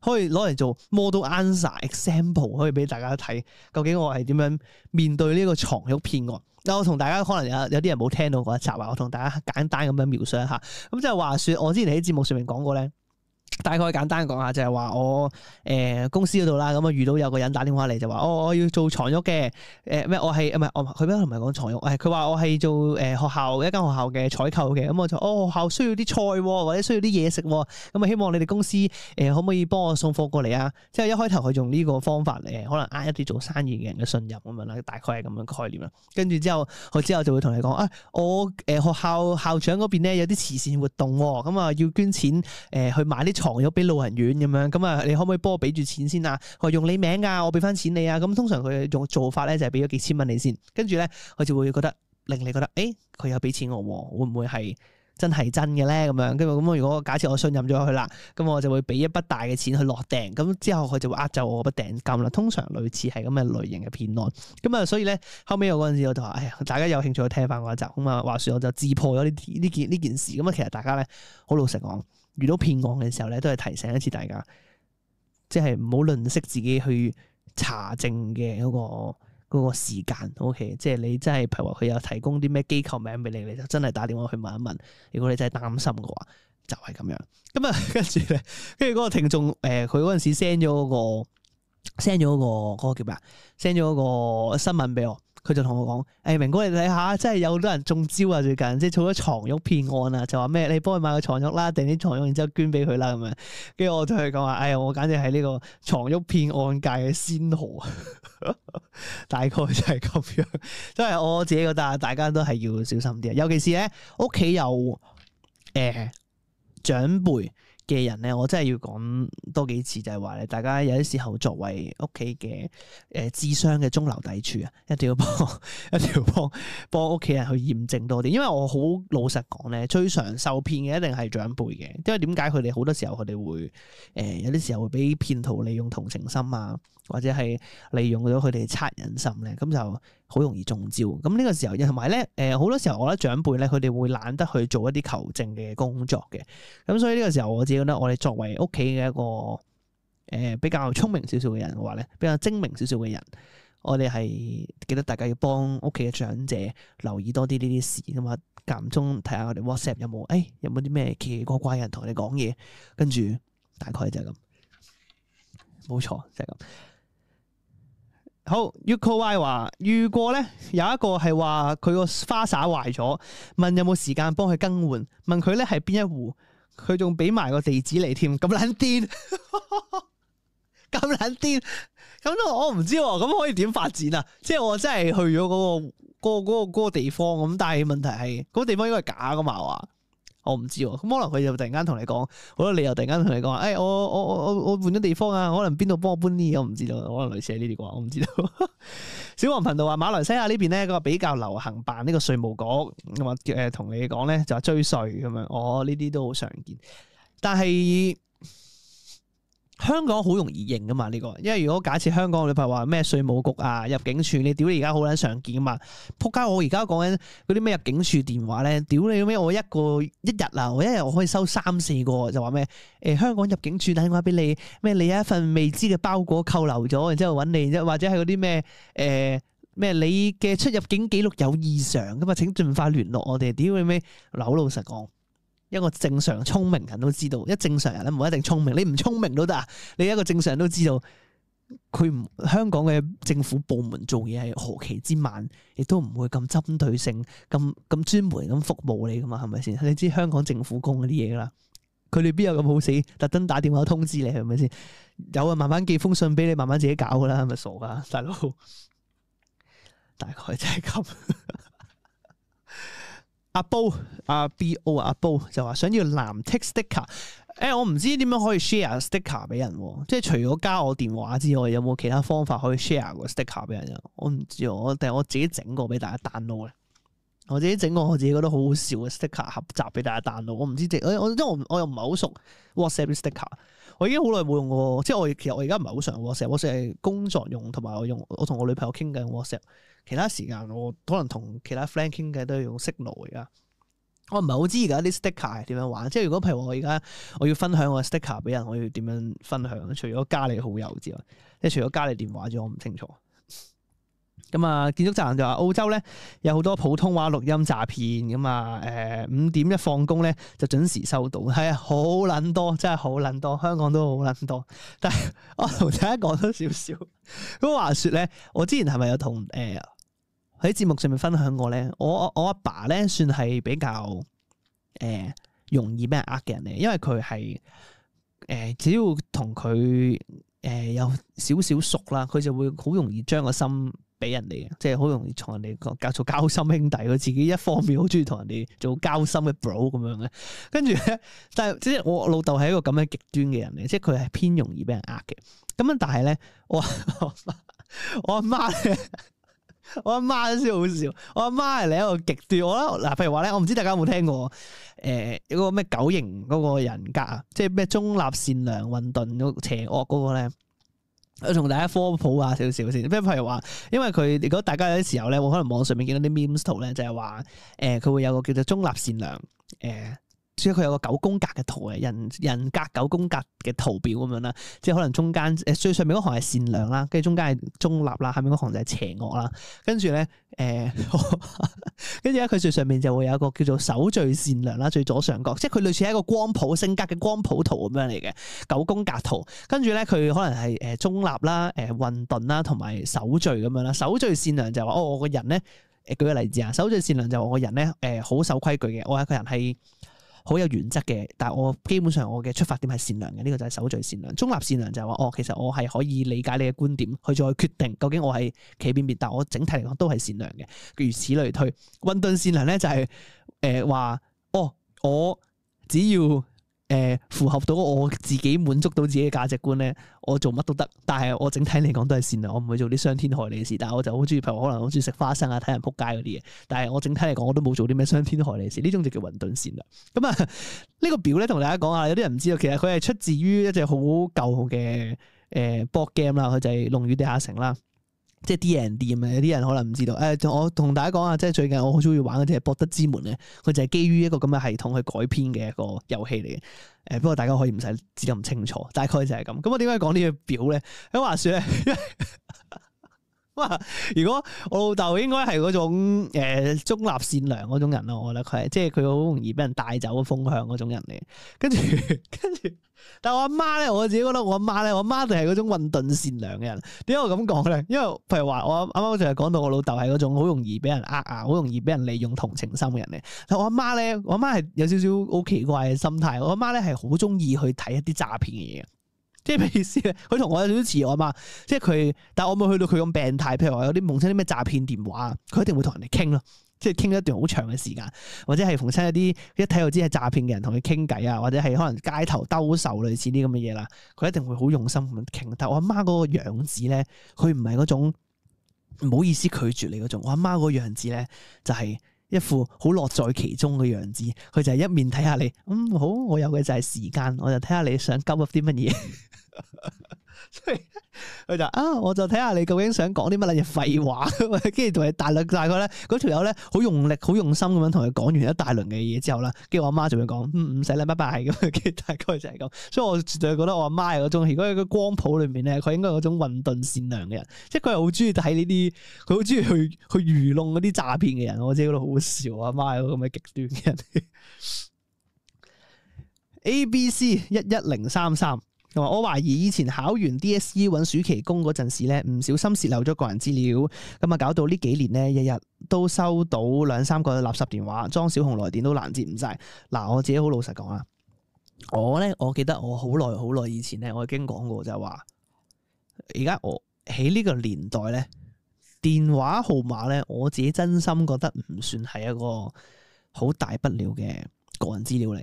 可以攞嚟做 model answer example， 可以俾大家睇究竟我係點樣面對呢個床褥騙案。嗱，我同大家可能有有啲人冇聽到嗰一集啊，我同大家簡單咁樣描述一下。咁即係話說，我之前喺節目上面講過咧。大概簡單講下，就係話我誒、呃、公司嗰度啦，咁啊遇到有個人打電話嚟就話，哦，我要做床褥嘅，誒咩我係唔係我佢咩唔係講床褥，誒佢話我係做誒、呃、學校一間學校嘅採購嘅，咁我就哦學校需要啲菜或者需要啲嘢食，咁啊希望你哋公司誒、呃、可唔可以幫我送貨過嚟啊？即係一開頭佢用呢個方法嚟，可能呃一啲做生意嘅人嘅信任咁樣啦，大概係咁樣概念啦。跟住之後佢之後就會同你講啊，我誒、呃、學校校長嗰邊咧有啲慈善活動，咁啊要捐錢誒、呃、去買啲床褥俾老人院咁樣，咁啊你可唔可以幫我俾住錢先啊？佢話用你名啊，我俾翻錢你啊。咁通常佢用做法咧就係俾咗幾千蚊你先，跟住咧佢就會覺得令你覺得，誒佢有俾錢我，會唔會係真係真嘅咧？咁樣跟住咁如果假設我信任咗佢啦，咁我就會俾一筆大嘅錢去落訂，咁之後佢就會呃走我筆訂金啦。通常類似係咁嘅類型嘅騙案。咁啊，所以咧後尾我嗰陣時我就話，哎呀，大家有興趣去聽翻嗰一集咁啊。話說我就自破咗呢呢件呢件事。咁啊，其實大家咧好老實講。遇到騙案嘅時候咧，都係提醒一次大家，即係唔好吝嗇自己去查證嘅嗰個嗰個時間。OK， 即係你真係譬如話佢有提供啲咩機構名俾你，你就真係打電話去問一問。如果你真係擔心嘅話，就係咁樣。咁啊，跟住咧，跟住嗰個聽眾誒，佢嗰陣時 send 咗嗰個 send 咗嗰個嗰個叫咩啊 ？send 咗嗰個新聞俾我。佢就同我講：誒、哎、明哥，你睇下，真係有好多人中招啊！最近即係做咗床褥騙案啊，就話咩？你幫佢買個床褥啦，訂啲床褥，然之後捐俾佢啦咁樣。跟住我同佢講話：哎呀，我簡直係呢個床褥騙案界嘅先河，大概就係咁樣。即係我自己覺得，大家都係要小心啲，尤其是咧屋企有誒、呃、長輩嘅人咧，我真係要講多幾次，就係話咧，大家有啲時候作為屋企嘅誒智商嘅中流砥柱啊，一定要幫一定要幫幫屋企人去驗證多啲，因為我好老實講咧，最常受騙嘅一定係長輩嘅，因為點解佢哋好多時候佢哋會誒、呃、有啲時候會俾騙徒利用同情心啊，或者係利用咗佢哋惻隱心咧，咁就好容易中招。咁呢個時候，同埋咧誒好多時候，我覺得長輩咧佢哋會懶得去做一啲求證嘅工作嘅，咁所以呢個時候我自己覺得我哋作為屋企嘅一個誒、呃、比較聰明少少嘅人嘅話咧，比較精明少少嘅人，我哋係記得大家要幫屋企嘅長者留意多啲呢啲事咁啊，間唔中睇下我哋 WhatsApp 有冇誒、哎、有冇啲咩奇奇怪怪嘅人同你講嘢，跟住大概就係咁，冇錯就係、是、咁。好 Uko Y 話遇過咧，有一個係話佢個花灑壞咗，問有冇時間幫佢更換，問佢咧係邊一戶，佢仲俾埋個地址嚟添，咁撚癲，咁撚癲，咁我唔知喎，咁可以點發展啊？即係我真係去咗嗰、嗰個、嗰個、嗰個、嗰個地方咁，但係問題係嗰個地方應該係假噶嘛？話我唔知喎，咁可能佢就突然間同你講，好多理由突然間同你講，誒、哎、我我我我我換咗地方啊，可能邊度幫我搬啲，我唔知道，可能類似係呢啲啩，我唔知道。小黃頻道話馬來西亞呢邊咧，個比較流行辦呢個稅務局，咁啊誒同你講咧就話追稅咁樣，我呢啲都好常見，但係香港好容易認噶嘛呢個，因為如果假設香港你譬如話咩稅務局啊、入境處，你屌你而家好撚常見噶嘛，仆街！我而家講緊嗰啲咩入境處電話咧，屌你咩！我一個一日啊，我一日我可以收三四個，就話咩誒香港入境處打電話俾你，咩你有一份未知嘅包裹扣留咗，然之後揾你，或者係嗰啲咩誒咩你嘅出入境記錄有異常咁啊，請盡快聯絡我哋。屌你咩！嗱，好老實講。一個正常聰明人都知道，一正常人咧唔一定聰明，你唔聰明都得啊！你一個正常人都知道，佢唔香港嘅政府部門做嘢係何其之慢，亦都唔會咁針對性、咁咁專門咁服務你噶嘛，係咪先？你知香港政府工嗰啲嘢啦，佢哋邊有咁好死，特登打電話通知你係咪先？有啊，慢慢寄封信俾你，慢慢自己搞噶啦，係咪傻噶，大佬？大概就係咁。阿煲阿 B O 阿煲就話想要藍剔 sticker，誒、欸、我唔知點樣可以 share sticker 俾人，即係除咗加我電話之外，有冇其他方法可以 share 個 sticker 俾人？我唔知，我定係我自己整個俾大家 download 咧。我自己整個我自己覺得好好笑嘅 sticker 合集俾大家 download。我唔知即係我因為我我又唔係好熟 WhatsApp sticker，我已經好耐冇用過，即係我其實我而家唔係好常 WhatsApp，WhatsApp 係工作用，同埋我用我同我女朋友傾緊 WhatsApp。其他時間我可能同其他 friend 傾偈都係用 Signal 而家。我唔係好知而家啲 sticker 係點樣玩，即係如果譬如我而家我要分享我 sticker 俾人，我要點樣分享？除咗加你好友之外，即係除咗加你電話之外，我唔清楚。咁啊，建築宅男就話澳洲咧有好多普通話錄音詐騙咁啊，誒五點一放工咧就準時收到，係啊，好撚多，真係好撚多，香港都好撚多。但係我同大家講多少少，咁話説咧，我之前係咪有同誒喺節目上面分享過咧？我我阿爸咧算係比較誒、呃、容易俾人呃嘅人嚟，因為佢係誒只要同佢誒有少少熟啦，佢就會好容易將個心俾人哋嘅，即係好容易同人哋講叫做交心兄弟。佢自己一方面好中意同人哋做交心嘅 bro 咁樣嘅，跟住咧，但係即係我老豆係一個咁樣極端嘅人嚟，即係佢係偏容易俾人呃嘅。咁樣但係咧，我我阿媽咧。我阿媽先好笑，我阿媽係另一個極端。我覺得嗱，譬如話咧，我唔知大家有冇聽過誒嗰個咩九型嗰個人格啊，即係咩中立、善良、混沌、邪惡嗰個咧。我同大家科普下少少先。即係譬如話，因為佢如果大家有啲時候咧，我可能網上面見到啲 memes 圖咧，就係話誒佢會有個叫做中立、善良誒。呃所以佢有個九宮格嘅圖嘅人人格九宮格嘅圖表咁樣啦，即係可能中間誒最上面嗰行係善良啦，跟住中間係中立啦，下面嗰行就係邪惡啦。跟住咧誒，跟住咧佢最上面就會有一個叫做守序善良啦，最左上角，即係佢類似係一個光譜性格嘅光譜圖咁樣嚟嘅九宮格圖。跟住咧佢可能係誒中立啦、誒混沌啦，同埋守序咁樣啦。守序善良就係話哦，我個人咧誒舉個例子啊，守序善良就係我個人咧誒好守規矩嘅，我係一個人係好有原則嘅，但係我基本上我嘅出發點係善良嘅，呢、這個就係守序善良。中立善良就係話，哦，其實我係可以理解你嘅觀點，去再決定究竟我係企邊邊，但我整體嚟講都係善良嘅。如此類推。混沌善良咧就係誒話，哦，我只要誒誒符合到我自己滿足到自己嘅價值觀咧，我做乜都得。但係我整體嚟講都係善良，我唔會做啲傷天害理嘅事。但係我就好中意，譬如可能好中意食花生啊、睇人仆街嗰啲嘢。但係我整體嚟講，我都冇做啲咩傷天害理嘅事。呢種就叫混沌善良。咁啊，呢個表咧同大家講下，有啲人唔知道，其實佢係出自於一隻好舊嘅誒 board game 啦，佢就係《龍與地下城》啦。即係 D and D 咁啊！有啲人可能唔知道，誒、呃，我同大家講下，即係最近我好中意玩嗰隻《博德之門》咧，佢就係基於一個咁嘅系統去改編嘅一個遊戲嚟嘅。誒、呃，不過大家可以唔使知得咁清楚，大概就係咁。咁我點解講呢個表咧？咁話說咧，哇！如果我老豆應該係嗰種、呃、中立善良嗰種人咯，我覺得佢係，即係佢好容易俾人帶走嘅風向嗰種人嚟。跟住，跟住。但係我阿媽咧，我自己覺得我阿媽咧，我阿媽就係嗰種混沌善良嘅人。點解我咁講咧？因為譬如話，我啱啱就係講到我老豆係嗰種好容易俾人呃啊，好容易俾人利用同情心嘅人嚟。但我阿媽咧，我阿媽係有少少好奇怪嘅心態。我阿媽咧係好中意去睇一啲詐騙嘅嘢。即係咩意思咧？佢同我有少少似我阿媽，即係佢，但係我冇去到佢咁病態。譬如話有啲夢親啲咩詐騙電話，佢一定會同人哋傾咯。即係傾一段好長嘅時間，或者係逢親一啲一睇就知係詐騙嘅人同佢傾偈啊，或者係可能街頭兜售類似啲咁嘅嘢啦，佢一定會好用心咁傾。但係我阿媽嗰個樣子咧，佢唔係嗰種唔好意思拒絕你嗰種。我阿媽嗰個樣子咧，就係一副好樂在其中嘅樣子。佢就係一面睇下你，嗯好，我有嘅就係時間，我就睇下你想鳩噏啲乜嘢。所以佢就啊，我就睇下你究竟想講啲乜嘢廢話，跟住同佢大略大概咧，嗰條友咧好用力、好用心咁樣同佢講完一大輪嘅嘢之後啦，跟住我阿媽就會講，嗯唔使啦，拜拜咁，跟住大概就係咁。所以我絕對覺得我阿媽係嗰種，如果喺個光譜裏面咧，佢應該係嗰種混沌善良嘅人，即係佢係好中意睇呢啲，佢好中意去去愚弄嗰啲詐騙嘅人。我自己覺得好好笑，我阿媽係個咁嘅極端嘅人。A B C 一一零三三。我懷疑以前考完 D S E 揾暑期工嗰陣時咧，唔小心洩漏咗個人資料，咁啊搞到呢幾年咧，日日都收到兩三個垃圾電話，裝小紅來電都攔截唔晒。嗱，我自己好老實講啊，我咧，我記得我好耐好耐以前咧，我已經講過就係話，而家我喺呢個年代咧，電話號碼咧，我自己真心覺得唔算係一個好大不了嘅個人資料嚟。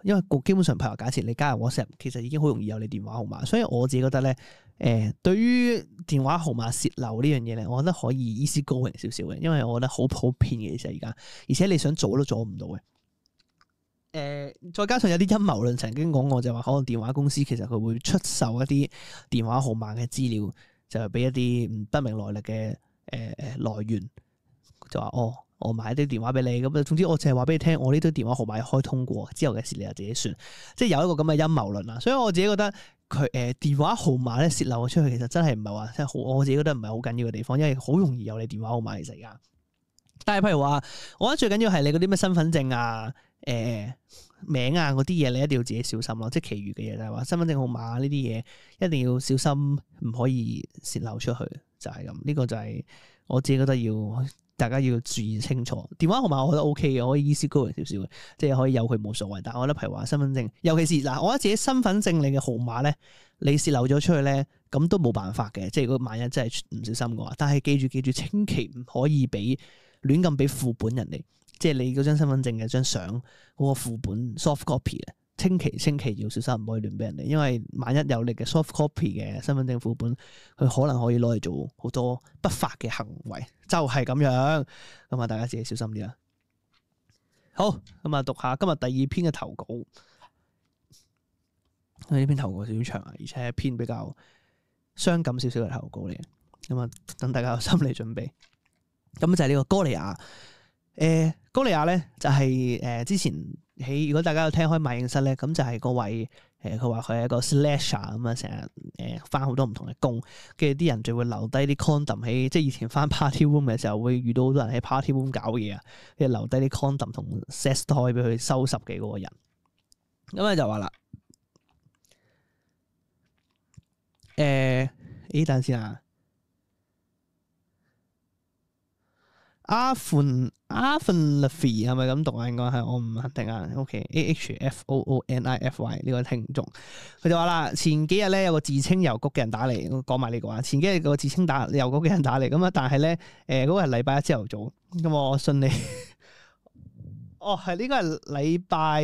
因為基本上，譬如假設你加入 WhatsApp，其實已經好容易有你電話號碼，所以我自己覺得咧，誒、呃，對於電話號碼洩漏呢樣嘢咧，我覺得可以 easy going 少少嘅，因為我覺得好普遍嘅其實而家，而且你想做都做唔到嘅。誒、呃，再加上有啲陰謀論曾經講過，就話可能電話公司其實佢會出售一啲電話號碼嘅資料，就係俾一啲唔不明來歷嘅誒誒來源，就話哦。我買啲電話俾你，咁啊，總之我淨係話俾你聽，我呢堆電話號碼開通過，之後嘅事你就自己算，即係有一個咁嘅陰謀論啦。所以我自己覺得佢誒、呃、電話號碼咧洩漏咗出去，其實真係唔係話即係好，我自己覺得唔係好緊要嘅地方，因為好容易有你電話號碼其實而家。但係譬如話，我覺得最緊要係你嗰啲咩身份證啊、誒、呃、名啊嗰啲嘢，你一定要自己小心咯。即係其餘嘅嘢就係話身份證號碼呢啲嘢，一定要小心，唔可以洩漏出去，就係、是、咁。呢、這個就係我自己覺得要。大家要注意清楚，電話號碼我覺得 O K 嘅，可以 easy going 少少嘅，即係可以有佢冇所謂。但係我覺得譬如話身份證，尤其是嗱，我覺得自己身份證你嘅號碼咧，你洩漏咗出去咧，咁都冇辦法嘅。即係如果萬一真係唔小心嘅話，但係記住記住，千祈唔可以俾亂咁俾副本人哋，即係你嗰張身份證嘅張相嗰個副本 soft copy 嘅。千祈千祈要小心，唔可以亂俾人哋，因為萬一有你嘅 soft copy 嘅身份證副本，佢可能可以攞嚟做好多不法嘅行為，就係咁樣。咁啊，大家自己小心啲啦。好，咁啊，讀下今日第二篇嘅投稿。呢篇投稿少少長啊，而且係一篇比較傷感少少嘅投稿嚟嘅。咁啊，等大家有心理準備。咁就係呢個哥利亞。誒、呃，哥利亞咧就係、是、誒、呃、之前喺如果大家有聽開賣影室咧，咁就係嗰位誒，佢話佢係一個 slasher 咁啊，成日誒翻好多唔同嘅工，跟住啲人就會留低啲 condom 喺，即係以前翻 party room 嘅時候會遇到好多人喺 party room 搞嘢啊，跟住留低啲 condom 同 sex toy 俾佢收拾嘅嗰個人。咁咧就話啦，誒、呃，呢等先啊。阿芬阿芬 Lafy 係咪咁讀啊？應該係，我唔肯定啊。OK，A H F O O N I F Y 呢個聽眾，佢就話啦，前幾日咧有個自稱郵局嘅人打嚟，講埋呢個話。前幾日個自稱打郵局嘅人打嚟，咁啊，但係咧誒嗰個係禮拜一朝頭早，咁我信你，哦，係呢個係禮拜，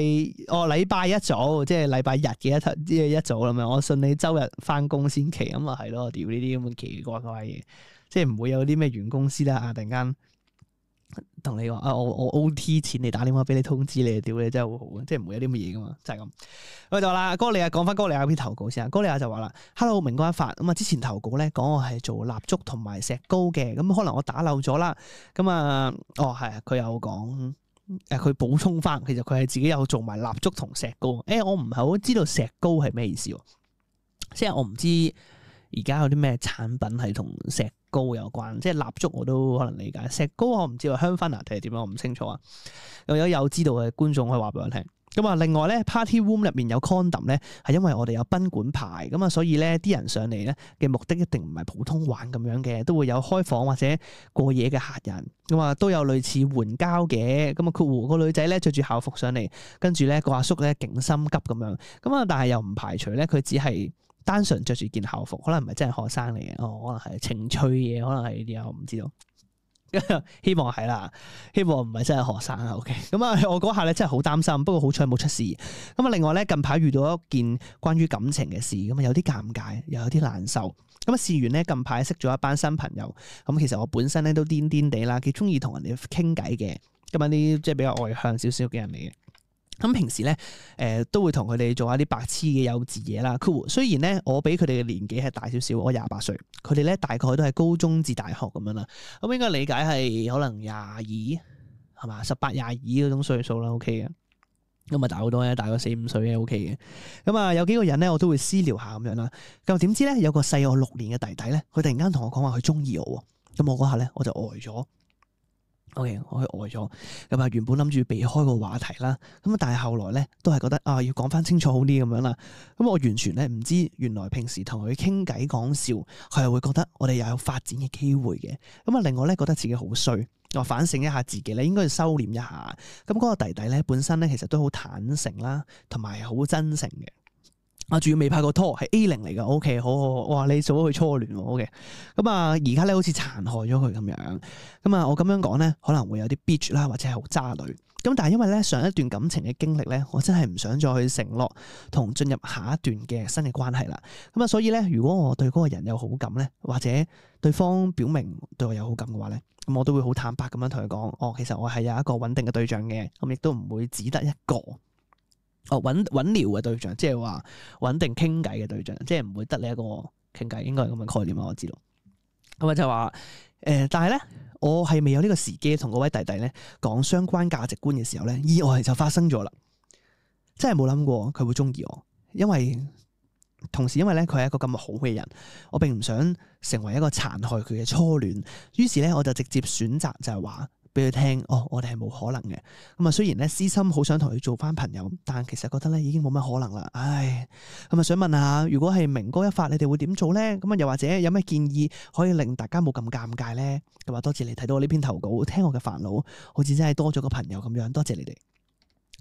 哦禮拜一早，即係禮拜日嘅一頭，即係一早咁樣。我信你周日翻工先期，咁啊係咯，屌呢啲咁嘅奇奇怪怪嘢，即係唔會有啲咩原公司啦啊，突然間同你話啊，我我 O T 錢你打電話俾你通知你，屌你真係好好，即係唔會有啲乜嘢噶嘛，就係、是、咁。我就話啦，哥利亞講翻哥利亞篇投稿先啊，哥利亞就話啦 ，Hello 明哥一發，咁啊之前投稿咧講我係做蠟燭同埋石膏嘅，咁可能我打漏咗啦，咁啊，哦係啊，佢有講。誒佢補充翻，其實佢係自己有做埋蠟燭同石膏。誒、欸、我唔係好知道石膏係咩意思喎，即係我唔知而家有啲咩產品係同石膏有關。即係蠟燭我都可能理解，石膏我唔知喎，香薰啊定係點樣，我唔清楚啊。又有有知道嘅觀眾可以話俾我聽。咁啊，另外咧 party room 入面有 condom 咧，係因為我哋有賓館牌，咁啊，所以咧啲人上嚟咧嘅目的一定唔係普通玩咁樣嘅，都會有開房或者過夜嘅客人，咁啊都有類似援交嘅，咁啊括弧個女仔咧着住校服上嚟，跟住咧個阿叔咧勁心急咁樣，咁啊但係又唔排除咧佢只係單純着住件校服，可能唔係真係學生嚟嘅，哦可能係情趣嘢，可能係呢啲啊，我唔知道。希望係啦，希望唔係真係學生啊。OK，咁啊，我嗰下咧真係好擔心，不過好彩冇出事。咁啊，另外咧近排遇到一件關於感情嘅事，咁啊有啲尷尬，又有啲難受。咁啊，事緣咧近排識咗一班新朋友，咁其實我本身咧都癲癲地啦，幾中意同人哋傾偈嘅，咁啊啲即係比較外向少少嘅人嚟嘅。咁平時咧，誒、呃、都會同佢哋做一啲白痴嘅幼稚嘢啦。Cool，雖然咧我比佢哋嘅年紀係大少少，我廿八歲，佢哋咧大概都係高中至大學咁樣啦。咁應該理解係可能廿二係嘛，十八廿二嗰種歲數啦。OK 嘅，咁啊大好多嘅，大過四五歲嘅 OK 嘅。咁啊有幾個人咧，我都會私聊下咁樣啦。咁點知咧有個細我六年嘅弟弟咧，佢突然間同我講話佢中意我喎。咁我嗰下咧我就呆咗。O.K. 我去呆咗，咁啊原本諗住避開個話題啦，咁啊但係後來咧都係覺得啊要講翻清楚好啲咁樣啦，咁我完全咧唔知原來平時同佢傾偈講笑，佢係會覺得我哋又有發展嘅機會嘅，咁啊令我咧覺得自己好衰，我反省一下自己咧應該要收斂一下，咁、那、嗰個弟弟咧本身咧其實都好坦誠啦，同埋好真誠嘅。啊，仲要未拍過拖，係 A 零嚟噶 ，OK，好好好，哇，你做咗佢初戀，OK，咁啊，而家咧好似殘害咗佢咁樣，咁啊，我咁樣講咧，可能會有啲 bitch 啦，或者係好渣女，咁但係因為咧上一段感情嘅經歷咧，我真係唔想再去承諾同進入下一段嘅新嘅關係啦，咁啊，所以咧，如果我對嗰個人有好感咧，或者對方表明對我有好感嘅話咧，咁我都會好坦白咁樣同佢講，哦，其實我係有一個穩定嘅對象嘅，咁亦都唔會只得一個。哦，穩穩聊嘅對象，即係話穩定傾偈嘅對象，即係唔會得你一個傾偈，應該係咁嘅概念啦。我知道，咁啊就話誒、呃，但係咧，我係未有呢個時機同嗰位弟弟咧講相關價值觀嘅時候咧，意外就發生咗啦。真係冇諗過佢會中意我，因為同時因為咧佢係一個咁好嘅人，我並唔想成為一個殘害佢嘅初戀，於是咧我就直接選擇就係話。俾佢聽，哦，我哋係冇可能嘅。咁啊，雖然咧私心好想同佢做翻朋友，但其實覺得咧已經冇乜可能啦。唉，咁啊想問下，如果係明哥一發，你哋會點做咧？咁啊，又或者有咩建議可以令大家冇咁尷尬咧？咁啊，多謝你睇到我呢篇投稿，聽我嘅煩惱，好似真係多咗個朋友咁樣。多謝你哋。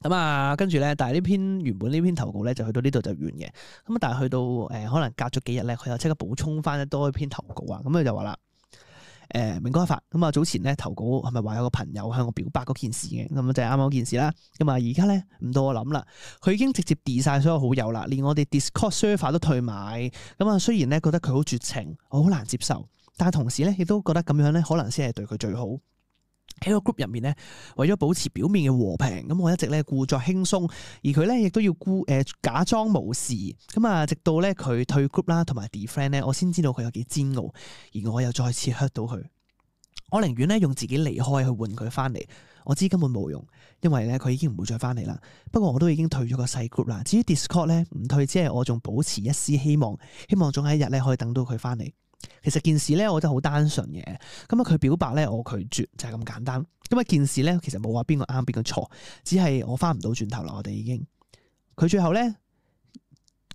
咁啊，跟住咧，但係呢篇原本呢篇投稿咧就去到呢度就完嘅。咁啊，但係去到誒、呃、可能隔咗幾日咧，佢又即刻補充翻多一篇投稿啊。咁佢就話啦。誒、呃、明哥一發咁啊，早前咧投稿係咪話有個朋友向我表白嗰件事嘅，咁就係啱啱嗰件事啦。咁啊而家咧唔到我諗啦，佢已經直接 delete 晒所有好友啦，連我哋 Discord server 都退埋。咁啊雖然咧覺得佢好絕情，我好難接受，但係同時咧亦都覺得咁樣咧可能先係對佢最好。喺個 group 入面咧，為咗保持表面嘅和平，咁我一直咧故作輕鬆，而佢咧亦都要故誒、呃、假裝無視。咁啊，直到咧佢退 group 啦，同埋 defriend 咧，我先知道佢有幾煎熬，而我又再次 hurt 到佢。我寧願咧用自己離開去換佢翻嚟，我知根本冇用，因為咧佢已經唔會再翻嚟啦。不過我都已經退咗個細 group 啦。至於 Discord 咧唔退，只係我仲保持一絲希望，希望總有一日咧可以等到佢翻嚟。其實件事咧，我覺得好單純嘅。咁啊，佢表白咧，我拒絕就係咁簡單。咁啊，件事咧，其實冇話邊個啱邊個錯，只係我翻唔到轉頭啦。我哋已經，佢最後咧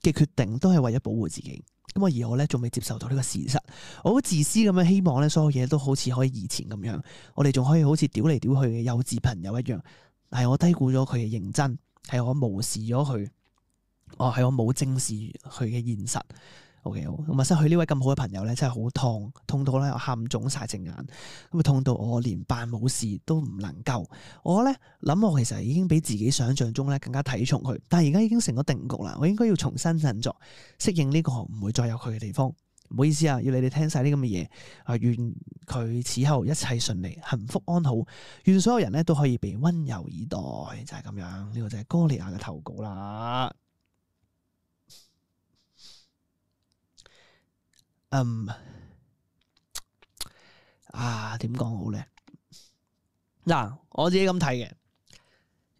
嘅決定都係為咗保護自己。咁啊，而我咧仲未接受到呢個事實，我好自私咁樣希望咧，所有嘢都好似可以以前咁樣，我哋仲可以好似屌嚟屌去嘅幼稚朋友一樣。係我低估咗佢嘅認真，係我無視咗佢，哦，係我冇正視佢嘅現實。OK 好，咁啊失去呢位咁好嘅朋友咧，真係好痛，痛到咧我喊腫晒隻眼，咁啊痛到我連扮冇事都唔能夠。我咧諗我其實已經比自己想象中咧更加睇重佢，但係而家已經成咗定局啦，我應該要重新振作，適應呢個唔會再有佢嘅地方。唔好意思啊，要你哋聽晒啲咁嘅嘢啊！願佢此後一切順利、幸福安好，願所有人咧都可以被溫柔以待，就係咁樣。呢個就係歌利亞嘅投稿啦。嗯，啊，點講好咧？嗱，我自己咁睇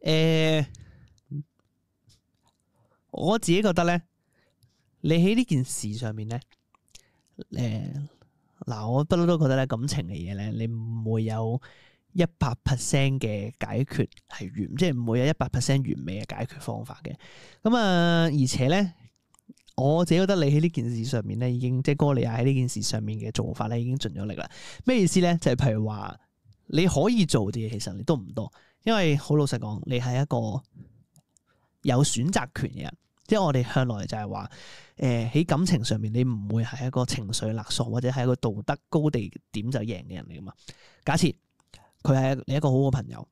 嘅，誒，我自己覺得咧，你喺呢件事上面咧。誒，嗱，我不嬲都覺得咧，感情嘅嘢咧，你唔會有一百 percent 嘅解決係完，即係唔會有一百 percent 完美嘅解決方法嘅。咁啊，而且咧，我自己覺得你喺呢件事上面咧，已經即係哥利亞喺呢件事上面嘅做法咧，已經盡咗力啦。咩意思咧？就係譬如話，你可以做啲嘢，其實你都唔多，因為好老實講，你係一個有選擇權嘅人。即係我哋向來就係話，誒、呃、喺感情上面你唔會係一個情緒勒索或者係一個道德高地點就贏嘅人嚟噶嘛。假設佢係你一個好好嘅朋友，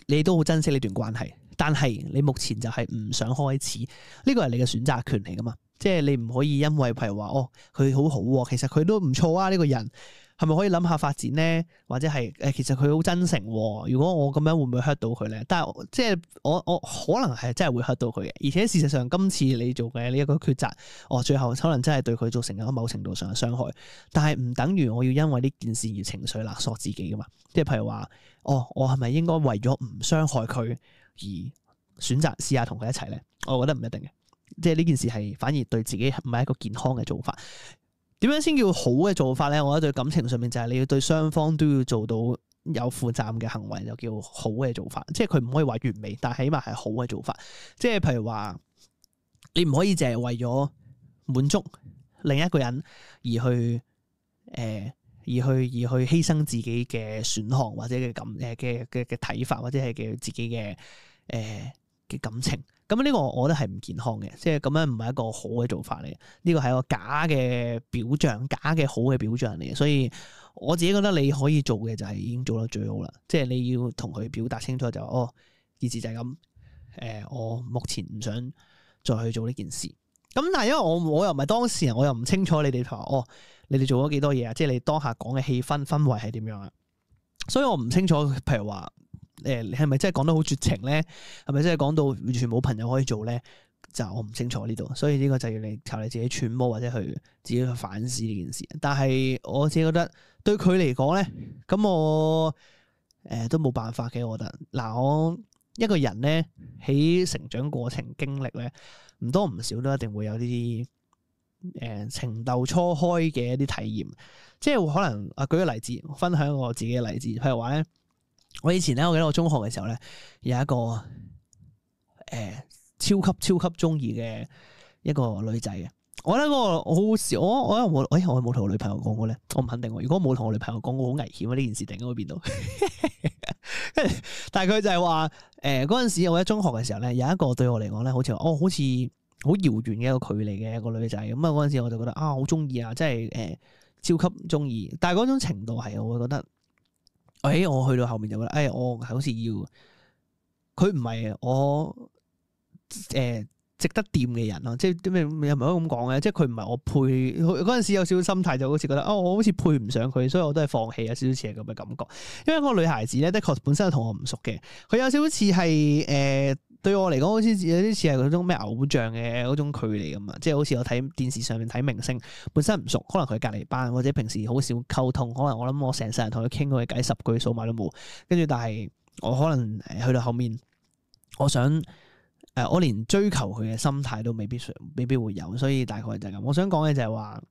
你都好珍惜呢段關係，但係你目前就係唔想開始，呢個係你嘅選擇權嚟噶嘛。即係你唔可以因為譬如話哦佢好好、啊，其實佢都唔錯啊呢、呢個人。係咪可以諗下發展咧？或者係誒，其實佢好真誠喎。如果我咁樣會唔會 hurt 到佢咧？但係即係我我可能係真係會 hurt 到佢嘅。而且事實上，今次你做嘅呢一個抉擇，我最後可能真係對佢造成咗某程度上嘅傷害。但係唔等於我要因為呢件事而情緒勒索自己噶嘛？即係譬如話，哦，我係咪應該為咗唔傷害佢而選擇試下同佢一齊咧？我覺得唔一定嘅。即係呢件事係反而對自己唔係一個健康嘅做法。點樣先叫好嘅做法咧？我覺得對感情上面就係你要對雙方都要做到有負責任嘅行為，就叫好嘅做法。即係佢唔可以話完美，但係起碼係好嘅做法。即係譬如話，你唔可以淨係為咗滿足另一個人而去誒、呃，而去而去犧牲自己嘅選項或者嘅感誒嘅嘅嘅睇法，或者係嘅自己嘅誒嘅感情。咁呢個我覺得係唔健康嘅，即係咁樣唔係一個好嘅做法嚟嘅。呢個係一個假嘅表象，假嘅好嘅表象嚟嘅。所以我自己覺得你可以做嘅就係已經做得最好啦。即係你要同佢表達清楚就哦，件事就係咁。誒、呃，我目前唔想再去做呢件事。咁但係因為我我又唔係當事人，我又唔清楚你哋話哦，你哋做咗幾多嘢啊？即係你當下講嘅氣氛氛圍係點樣啊？所以我唔清楚，譬如話。誒，你係咪真係講得好絕情咧？係咪真係講到完全冇朋友可以做咧？就我唔清楚呢度，所以呢個就要你靠你自己揣摩或者去自己去反思呢件事。但係我自己覺得對佢嚟講咧，咁我誒、呃、都冇辦法嘅。我覺得嗱，我一個人咧喺成長過程經歷咧，唔多唔少都一定會有呢啲誒情竇初開嘅一啲體驗。即係可能啊，舉個例子，分享我自己嘅例子，譬如話咧。我以前咧，我記得我中學嘅時候咧，有一個誒、呃、超級超級中意嘅一個女仔嘅。我覺得嗰個我好笑，我我我我我冇同我女朋友講過咧，我唔肯定。如果冇同我女朋友講過，好危險啊！呢件事突然間會變到。但係佢就係話誒嗰陣時，我喺中學嘅時候咧，有一個對我嚟講咧，好似話哦，好似好遙遠嘅一個距離嘅一個女仔。咁啊嗰陣時我就覺得啊，好中意啊，即係誒超級中意。但係嗰種程度係我會覺得。誒、哎，我去到後面就覺得，誒、哎，我係好似要佢唔係我誒、呃、值得掂嘅人咯，即係點咩又唔係可以咁講嘅，即係佢唔係我配。嗰陣時有少少心態，就好似覺得，哦，我好似配唔上佢，所以我都係放棄，有少少似係咁嘅感覺。因為嗰個女孩子咧，的確本身同我唔熟嘅，佢有少少似係誒對我嚟講，好似有啲似係嗰種咩偶像嘅嗰種距離咁啊，即係好似我睇電視上面睇明星，本身唔熟，可能佢隔離班或者平時好少溝通，可能我諗我成世人同佢傾過偈十句數碼都冇，跟住但係我可能去到後面，我想誒、呃、我連追求佢嘅心態都未必未必會有，所以大概就係咁。我想講嘅就係話。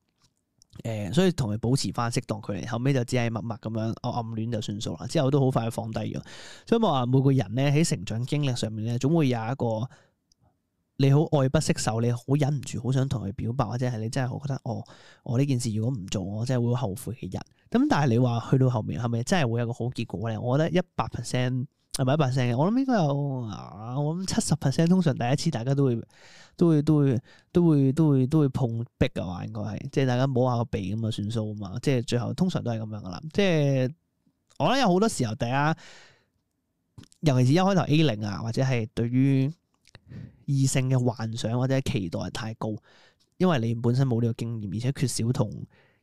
誒、呃，所以同佢保持翻適當距離，後尾就只係默默咁樣我暗戀就算數啦。之後都好快放低咗。所以我話每個人咧喺成長經歷上面咧，總會有一個你好愛不釋手，你好忍唔住好想同佢表白，或者係你真係好覺得哦，我呢件事如果唔做，我真係會好後悔嘅人。咁但係你話去到後面係咪真係會有個好結果咧？我覺得一百 percent 係咪一百 percent 嘅？我諗應該有啊，我諗七十 percent 通常第一次大家都會都會都會都會都會都會碰壁嘅話，應該係即係大家摸下個鼻咁啊算數啊嘛，即係最後通常都係咁樣噶啦。即係我覺得有好多時候大家，尤其是一開頭 A 零啊，或者係對於異性嘅幻想或者期待太高，因為你本身冇呢個經驗，而且缺少同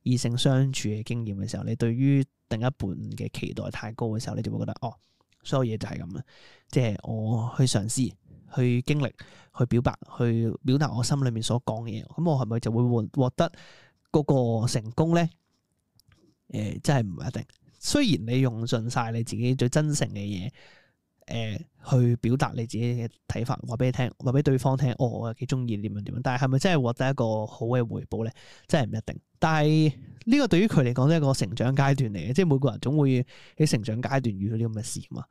異性相處嘅經驗嘅時候，你對於另一半嘅期待太高嘅時候，你就會覺得哦。所有嘢就係咁啦，即係我去嘗試、去經歷、去表白、去表達我心裏面所講嘅嘢，咁我係咪就會獲獲得嗰個成功咧？誒、呃，真係唔一定。雖然你用盡晒你自己最真誠嘅嘢，誒、呃，去表達你自己嘅睇法，話俾你聽，話俾對方聽，哦，我又幾中意點樣點樣，但係係咪真係獲得一個好嘅回報咧？真係唔一定。但係呢個對於佢嚟講都係一個成長階段嚟嘅，即係每個人總會喺成長階段遇到啲咁嘅事嘛，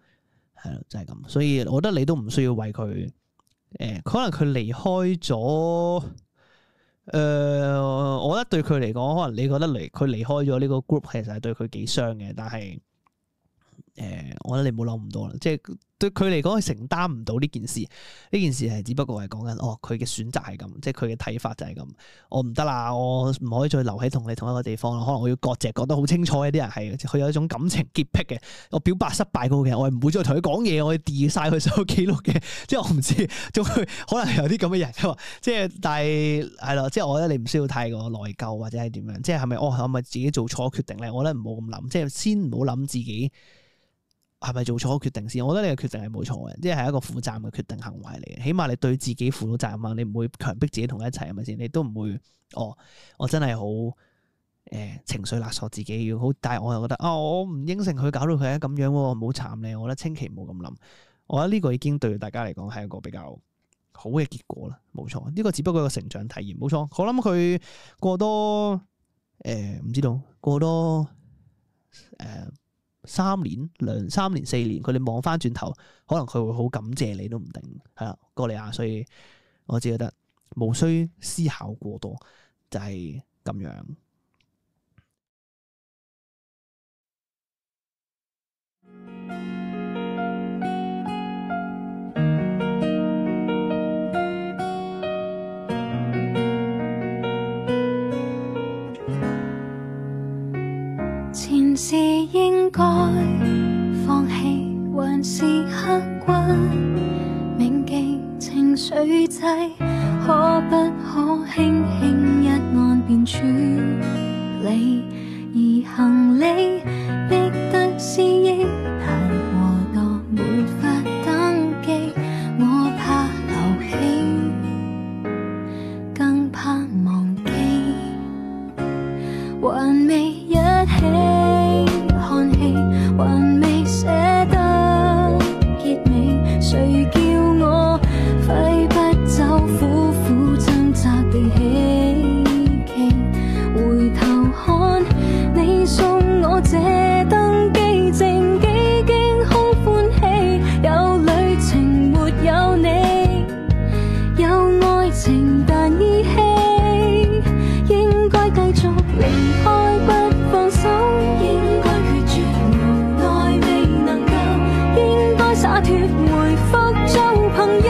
係咯，就係咁。所以我覺得你都唔需要為佢，誒、呃，可能佢離開咗，誒、呃，我覺得對佢嚟講，可能你覺得離佢離開咗呢個 group，其實係對佢幾傷嘅，但係，誒、呃，我覺得你唔好諗咁多啦，即係。對佢嚟講，佢承擔唔到呢件事。呢件事係只不過係講緊，哦，佢嘅選擇係咁，即係佢嘅睇法就係咁。我唔得啦，我唔可以再留喺同你同一個地方啦。可能我要割席，覺得好清楚嘅啲人係，佢有一種感情潔癖嘅。我表白失敗嗰個嘅，我係唔會再同佢講嘢，我要 delete 晒佢所有記錄嘅。即係我唔知，仲會可能有啲咁嘅人嘅嘛。即係但係係咯，即係我覺得你唔需要太過內疚或者係點樣。即係係咪哦？係咪自己做錯決定咧？我覺得唔好咁諗，即係先唔好諗自己。係咪做錯決定先？我覺得你嘅決定係冇錯嘅，即係一個負責任嘅決定行為嚟嘅。起碼你對自己負到責任啊！你唔會強迫自己同佢一齊，係咪先？你都唔會哦，我真係好誒情緒勒索自己要好，但係我又覺得啊、哦，我唔應承佢，搞到佢係咁樣喎，唔好慘咧！我覺得千祈唔好咁諗。我覺得呢個已經對大家嚟講係一個比較好嘅結果啦，冇錯。呢個只不過係個成長體驗，冇錯。我諗佢過多誒唔、呃、知道過多誒。呃三年、兩三年、四年，佢哋望翻轉頭，可能佢會好感謝你都唔定，係啦，哥利亞，所以我只覺得無需思考過多，就係咁樣。前事應該放棄，還是刻骨銘記情緒劑，可不可輕輕一按便處理？而行李逼得思憶太過多，沒法登記，我怕留起，更怕忘記，還未一起看戲，還未捨得結尾，誰叫我揮不走，苦苦掙扎地希冀，回頭看你送我這登機證，幾經空歡喜，有旅程沒有你，有愛情但依稀，應該繼續離開不放手，應該決絕無奈未能夠，應該灑脫回復做朋友，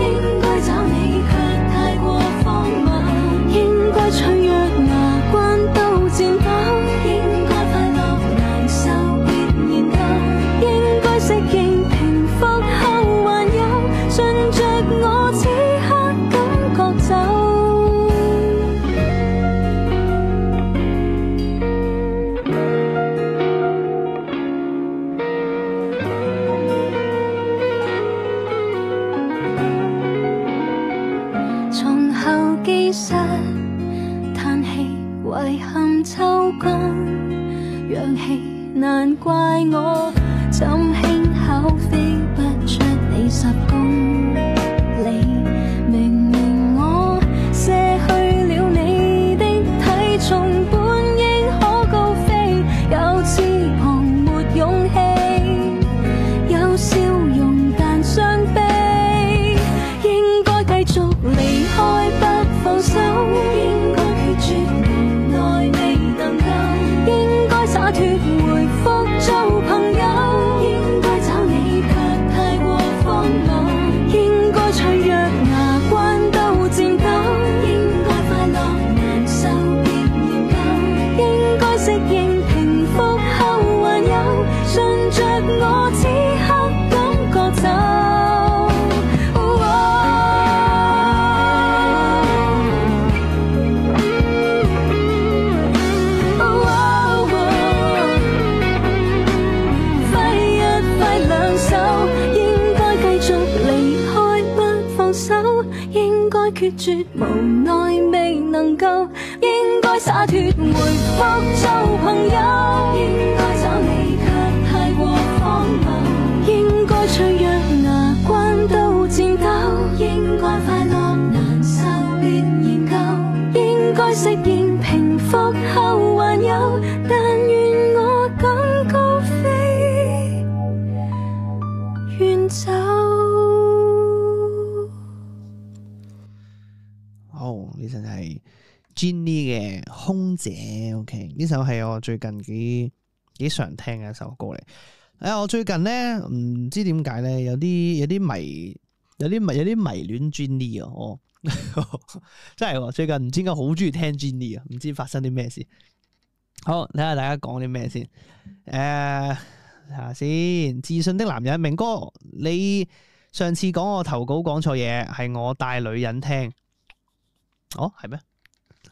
應該找你卻太過荒謬，應該脆弱牙關都顫抖，應該快樂難受別研究，應該適應平復後還有，順着我此刻感覺走。從後機室嘆氣，遺憾抽乾氧氣，難怪我怎輕巧飛不出你十公里，明明我卸去了你的體重，本應可高飛，有翅膀沒勇氣，有笑容但傷悲，應該繼續離開不放手，應該決絕無奈未能夠，應該灑脫回復做朋友，應該找你卻適應平復後還有順着我此刻感覺走。決絕無奈未能夠，應該灑脫回復做朋友。應該找你卻太過荒謬，應該脆弱牙關都戰鬥，應該快樂難受別研究，應該適應平復後還有，但願我敢高飛遠走。呢首係 Jennie 嘅空姐 ，OK， 呢首係我最近幾幾常聽嘅一首歌嚟。誒，我最近咧唔知點解咧，有啲有啲迷，有啲迷有啲迷戀 Jennie 啊！我真係最近唔知點解好中意聽 Jennie 啊！唔知發生啲咩事。好，睇下大家講啲咩先。誒、呃，睇下先。自信的男人，明哥，你上次講我投稿講錯嘢，係我帶女人聽。哦，係咩？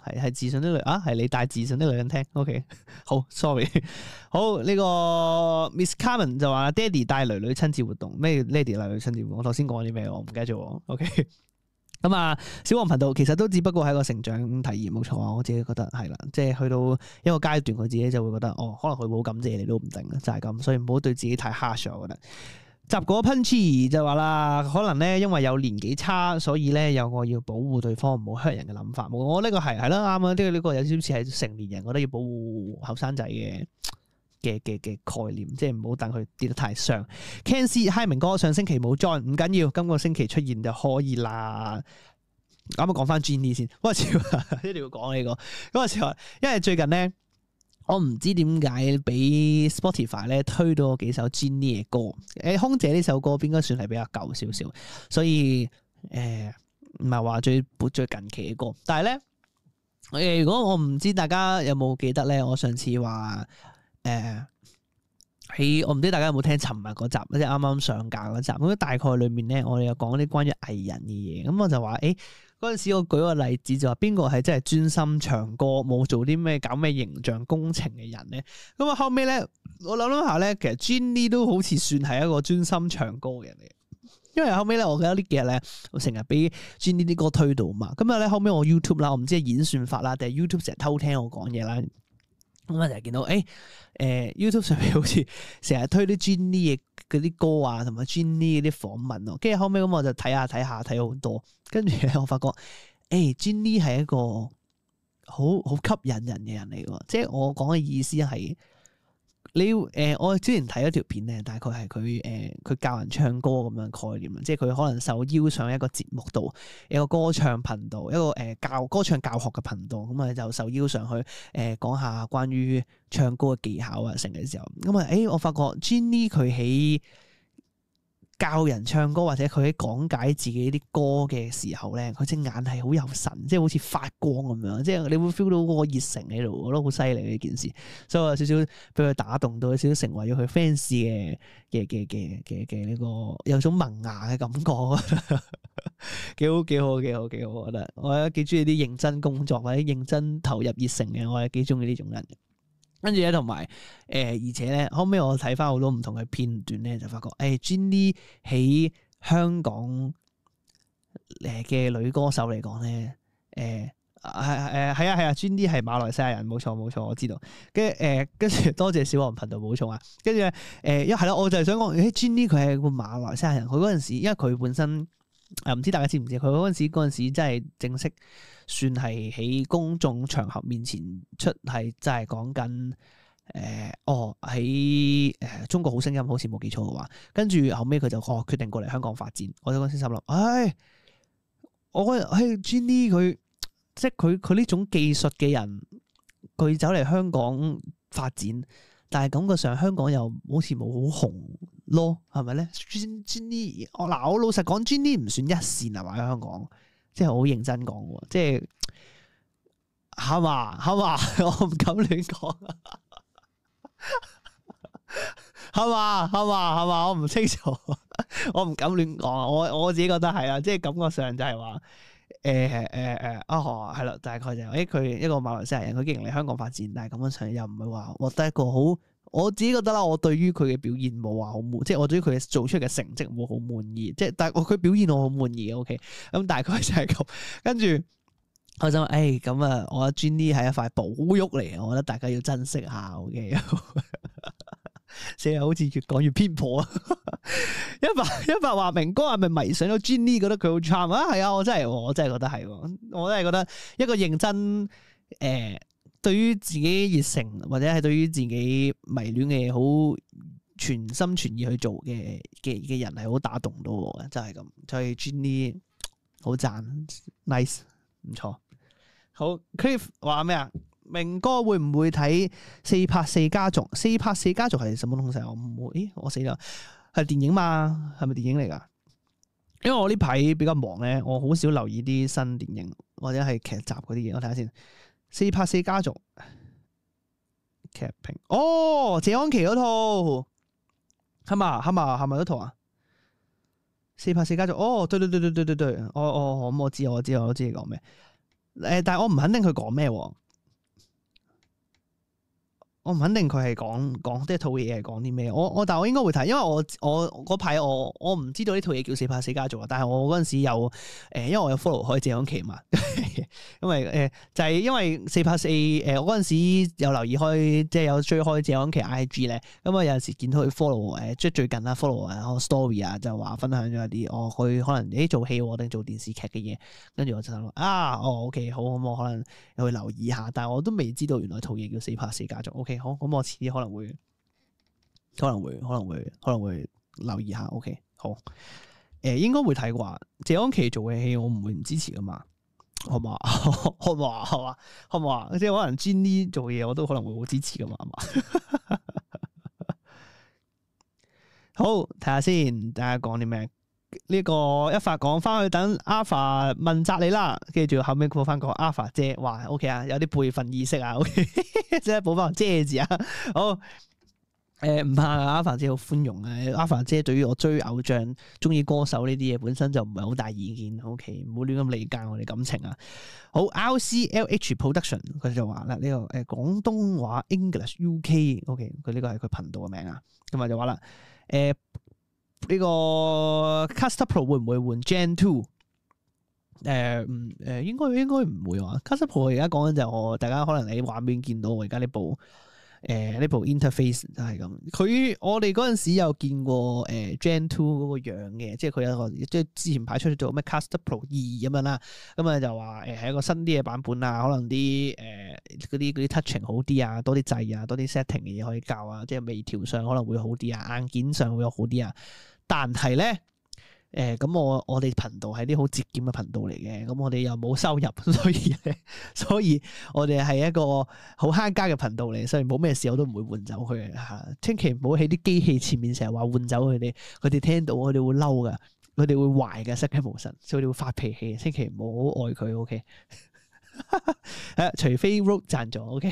係係自信的女啊，係你帶自信的女人聽。OK， 好 ，sorry， 好呢、這個 Miss Carmen 就話爹哋帶女女親子活動，咩爹哋帶女女親子活動？我頭先講啲咩？我唔記得咗。OK， 咁啊，小黃頻道其實都只不過係一個成長體驗，冇錯啊。我自己覺得係啦，即係去到一個階段，佢自己就會覺得，哦，可能佢好感謝你都唔定，就係、是、咁，所以唔好對自己太 harsh， 我覺得。雜果 Punchy 就話啦，可能咧因為有年紀差，所以咧有個要保護對方唔好 hurt 人嘅諗法。我呢個係係啦，啱啊，呢個呢個有少少似係成年人，我覺得要保護後生仔嘅嘅嘅嘅概念，即係唔好等佢跌得太傷。Ken C Hi 明哥上星期冇 join， 唔緊要，今個星期出現就可以啦。啱啱講翻 Jennie 先，嗰個時一定要講呢、這個，嗰個時候因為最近咧。我唔知點解俾 Spotify 咧推到幾首 Jennie 嘅歌，誒空姐呢首歌應該算係比較舊少少，所以誒唔係話最最近期嘅歌。但係咧，誒如果我唔知大家有冇記得咧，我上次話誒喺我唔知大家有冇聽尋日嗰集，即係啱啱上架嗰集，咁大概裏面咧，我哋有講啲關於藝人嘅嘢，咁我就話誒。嗰陣時我舉個例子就話邊個係真係專心唱歌冇做啲咩搞咩形象工程嘅人咧？咁啊後尾咧我諗諗下咧，其實 Jennie 都好似算係一個專心唱歌嘅人嚟，因為後尾咧我記得呢幾日咧我成日俾 Jennie 啲歌推到嘛，咁啊咧後尾我 YouTube 啦，我唔知係演算法啦定係 YouTube 成日偷聽我講嘢啦，咁啊就係見到誒誒、欸呃、YouTube 上面好似成日推啲 Jennie 嘅嗰啲歌啊，同埋 Jennie 嗰啲訪問咯，跟住後尾咁我就睇下睇下睇好多。跟住咧，我發覺，誒、欸、Jennie 係一個好好吸引人嘅人嚟嘅，即係我講嘅意思係，你誒、呃，我之前睇咗條片咧，大概係佢誒，佢教人唱歌咁樣概念，即係佢可能受邀上一個節目度，一個歌唱頻道，一個誒、呃、教歌唱教學嘅頻道，咁啊就受邀上去誒、呃、講下關於唱歌嘅技巧啊，成嘅時候，咁啊，誒我發覺 Jennie 佢喺教人唱歌或者佢喺講解自己啲歌嘅時候咧，佢隻眼係好有神，即係好似發光咁樣，即係你會 feel 到嗰個熱誠喺度，我覺得好犀利呢件事，所以我有少少俾佢打動到，有少少成為咗佢 fans 嘅嘅嘅嘅嘅嘅呢個有種萌芽嘅感覺，幾好幾好幾好幾好，我覺得我覺得幾中意啲認真工作或者認真投入熱誠嘅，我係幾中意呢種人。跟住咧，同埋誒，而且咧，後尾我睇翻好多唔同嘅片段咧，就發覺誒、欸、Jennie 喺香港誒嘅女歌手嚟講咧，誒係誒係啊係啊 Jennie 係馬來西亞人，冇錯冇錯，我知道。跟住誒，跟住多謝小黃頻道補充啊。跟住誒，一係啦，我就係想講，誒 Jennie 佢係個馬來西亞人，佢嗰陣時，因為佢本身誒唔知大家知唔知，佢嗰陣時嗰陣時真係正式。算係喺公眾場合面前出，係真係講緊誒，哦喺誒中國好聲音，好似冇記錯嘅話，跟住後尾佢就哦決定過嚟香港發展。我就嗰陣時心諗，唉，我覺得誒 Jennie 佢即係佢佢呢種技術嘅人，佢走嚟香港發展，但係感覺上香港又好似冇好紅咯，係咪咧 ？Jennie 我嗱我老實講 ，Jennie 唔算一線係嘛喺香港。即係好認真講喎，即係係嘛係嘛，我唔敢亂講。係嘛係嘛係嘛，我唔清楚，我唔敢亂講，我我自己覺得係啦，即係感覺上就係話。誒誒誒啊，係啦，大概就誒佢一個馬來西亞人，佢既然嚟香港發展，但係咁樣上又唔係話獲得一個好，我自己覺得啦，我對於佢嘅表現冇話好滿，即係我對於佢做出嚟嘅成績冇好滿意，即係但係我佢表現我好滿意嘅 ，OK， 咁大概就係咁，跟住我就誒咁啊，我阿 Jenny 係一塊寶玉嚟，我覺得大家要珍惜下 ，OK。成日好似越講越偏頗啊！一發一發話明哥係咪迷上咗 Jenny， 覺得佢好 charm 啊？係啊，我真係我真係覺得係，我真係覺得一個認真誒、呃，對於自己熱誠或者係對於自己迷戀嘅嘢好全心全意去做嘅嘅嘅人係好打動到我嘅，真係咁。所以 Jenny 好讚 ，nice 唔錯。好 Cliff 話咩啊？明哥會唔會睇四拍四家族？四拍四家族係什麼東西？我唔會，咦，我死啦！係電影嘛？係咪電影嚟噶？因為我呢排比較忙咧，我好少留意啲新電影或者係劇集嗰啲嘢。我睇下先。四拍四家族劇評哦，謝安琪嗰套係嘛？係嘛？係咪嗰套啊？四拍四家族哦，對對對對對對對，我我我我知我知我都知你講咩。誒，但係我唔肯定佢講咩。我唔肯定佢係講講即係套嘢係講啲咩，我我但係我應該會睇，因為我我嗰排我我唔知道呢套嘢叫四拍四家族啊，但係我嗰陣時有誒、呃，因為我有 follow 開謝安琪嘛，因為誒、呃、就係、是、因為四拍四誒，我嗰陣時有留意開即係有追開謝安琪 I G 咧，咁啊有陣時見到佢 follow 誒，即係最近啦 follow 啊 story 啊，就話分享咗一啲哦，佢可能誒做戲定做電視劇嘅嘢，跟住我就諗啊，哦 OK 好，咁我可能又去留意下，但係我都未知道原來套嘢叫四拍四家族 OK。好，咁我遲啲可能會，可能會，可能會，可能會留意下。OK，好，誒、呃，應該會睇啩。謝安琪做嘅戲，我唔會唔支持噶嘛，好嘛？好嘛？好嘛？好嘛？即係可能 Jenny 做嘢，我都可能會好支持噶嘛，係嘛？好，睇下先，大家講啲咩？呢、這個一發講翻去等 Alpha 問責你啦，跟住後尾補翻個 Alpha 姐，哇 OK 啊，有啲輩份意識啊 ，OK， 即係補翻個姐字啊，好，誒唔怕 Alpha 姐好寬容啊 ，Alpha 姐對於我追偶像、中意歌手呢啲嘢本身就唔係好大意見 ，OK， 唔好亂咁理解我哋感情啊。好 ，R C L H Production 佢就話啦，呢、這個誒廣、呃、東話 English U K，OK， 佢呢個係佢頻道嘅名啊，咁啊就話啦，誒、呃。呢個 Caster Pro 會唔會換 Gen Two？ 誒唔誒應該應該唔會話 Caster Pro 而家講緊就係我大家可能喺畫面見到我而家呢部誒呢、呃、部 interface 就係咁。佢我哋嗰陣時有見過誒、呃、Gen Two 嗰個樣嘅，即係佢有個即係之前排出咗咩 Caster Pro 二咁樣啦。咁啊就話誒係一個新啲嘅版本啊，可能啲誒嗰啲嗰啲 touching 好啲啊，多啲掣啊，多啲 setting 嘅嘢可以教啊，即係微調上可能會好啲啊，硬件上會有好啲啊。但係咧，誒、呃、咁我我哋頻道係啲好節儉嘅頻道嚟嘅，咁我哋又冇收入，所以咧，所以我哋係一個好慳家嘅頻道嚟，所以冇咩事我都唔會換走佢嘅嚇。千祈唔好喺啲機器前面成日話換走佢哋，佢哋聽到佢哋會嬲噶，佢哋會壞嘅，失驚無神，所以佢哋會發脾氣。千祈唔好愛佢，OK？ 誒，除非 Road 贊助 OK，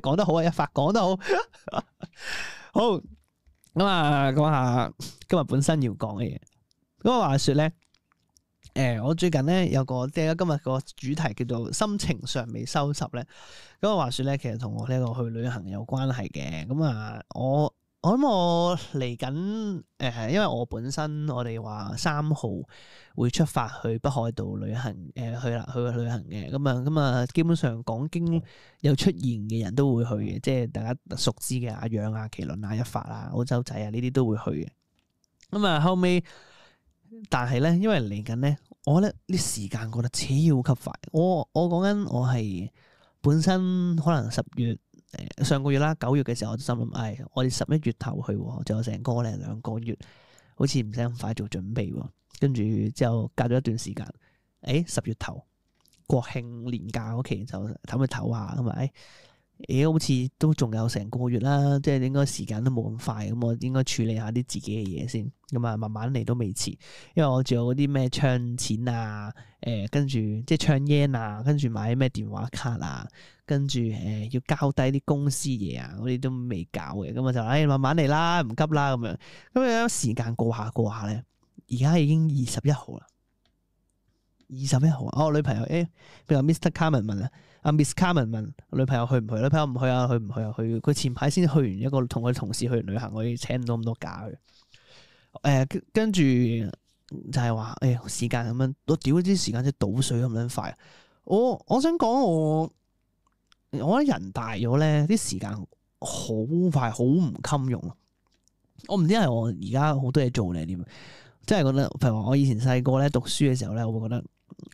講得好啊，一發講得好，好。咁啊，講下今日本身要講嘅嘢。咁啊，話說咧，誒、呃，我最近咧有個即係今日個主題叫做心情尚未收拾咧。咁啊，話說咧，其實同我呢個去旅行有關係嘅。咁啊，我我諗我嚟緊誒，因為我本身我哋話三號會出發去北海道旅行，誒、呃、去啦去去旅行嘅。咁啊咁啊，基本上講經有出現嘅人都會去嘅，即係大家熟知嘅阿楊啊、麒麟啊、一發啊、澳洲仔啊呢啲都會去嘅。咁啊後尾，但係咧，因為嚟緊咧，我覺得啲時間過得超級快。我我講緊我係本身可能十月。誒，上個月啦，九月嘅時候我就心諗，唉，我哋十一月頭去，仲有成個零兩個月，好似唔使咁快做準備。跟住之後隔咗一段時間，誒，十月頭國慶年假嗰期就唞一唞下，咁咪，誒，好似都仲有成個月啦，即係應該時間都冇咁快，咁我應該處理下啲自己嘅嘢先，咁啊慢慢嚟都未遲，因為我仲有嗰啲咩唱錢啊，誒、呃，跟住即係唱 yen 啊，跟住買咩電話卡啊。跟住誒、呃、要交低啲公司嘢啊，嗰啲都未搞嘅，咁我就誒、哎、慢慢嚟啦，唔急啦咁樣。咁樣時間過下過下咧，而家已經二十一號啦，二十一號啊！我女朋友誒，譬如話 Mister Carmen 問啊，阿 Miss Carmen 問女朋友去唔去？女朋友唔去啊，去唔去啊？去佢前排先去完一個同佢同事去完旅行，我要請唔到咁多假嘅。誒、呃，跟住就係話誒時間咁樣，我屌啲時間即係倒水咁樣快。我我想講我。我覺得人大咗咧，啲時間好快，好唔襟用。我唔知係我而家好多嘢做定係點，即係覺得，譬如話我以前細個咧讀書嘅時候咧，我會覺得誒、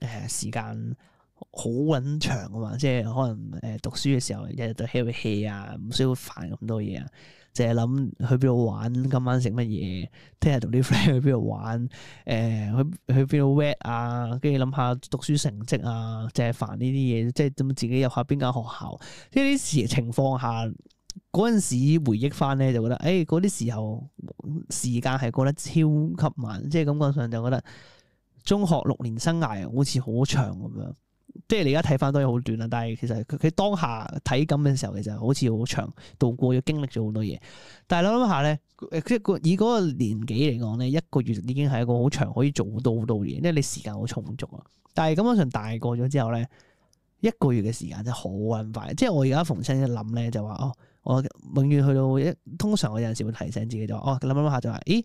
呃、時間好撚長啊嘛，即係可能誒、呃、讀書嘅時候日日都 hea hea 啊，唔需要煩咁多嘢啊，淨係諗去邊度玩，今晚食乜嘢，聽日同啲 friend 去邊度玩，誒、呃、去去邊度 wet 啊，跟住諗下讀書成績啊，淨係煩呢啲嘢，即係咁自己入下邊間學校，即係呢啲情況下嗰陣時回憶翻咧，就覺得誒嗰啲時候時間係過得超級慢，即係感覺上就覺得中學六年生涯好似好長咁樣。即係你而家睇翻都係好短啦，但係其實佢佢當下體感嘅時候，其實好似好長，度過咗經歷咗好多嘢。但係諗諗下咧，即係以嗰個年紀嚟講咧，一個月已經係一個好長，可以做到好多嘢，因為你時間好充足啊。但係根本上大個咗之後咧，一個月嘅時間真係好撚快。即係我而家逢親一諗咧，就話哦，我永遠去到一，通常我有陣時會提醒自己就話哦，諗諗下就話，咦，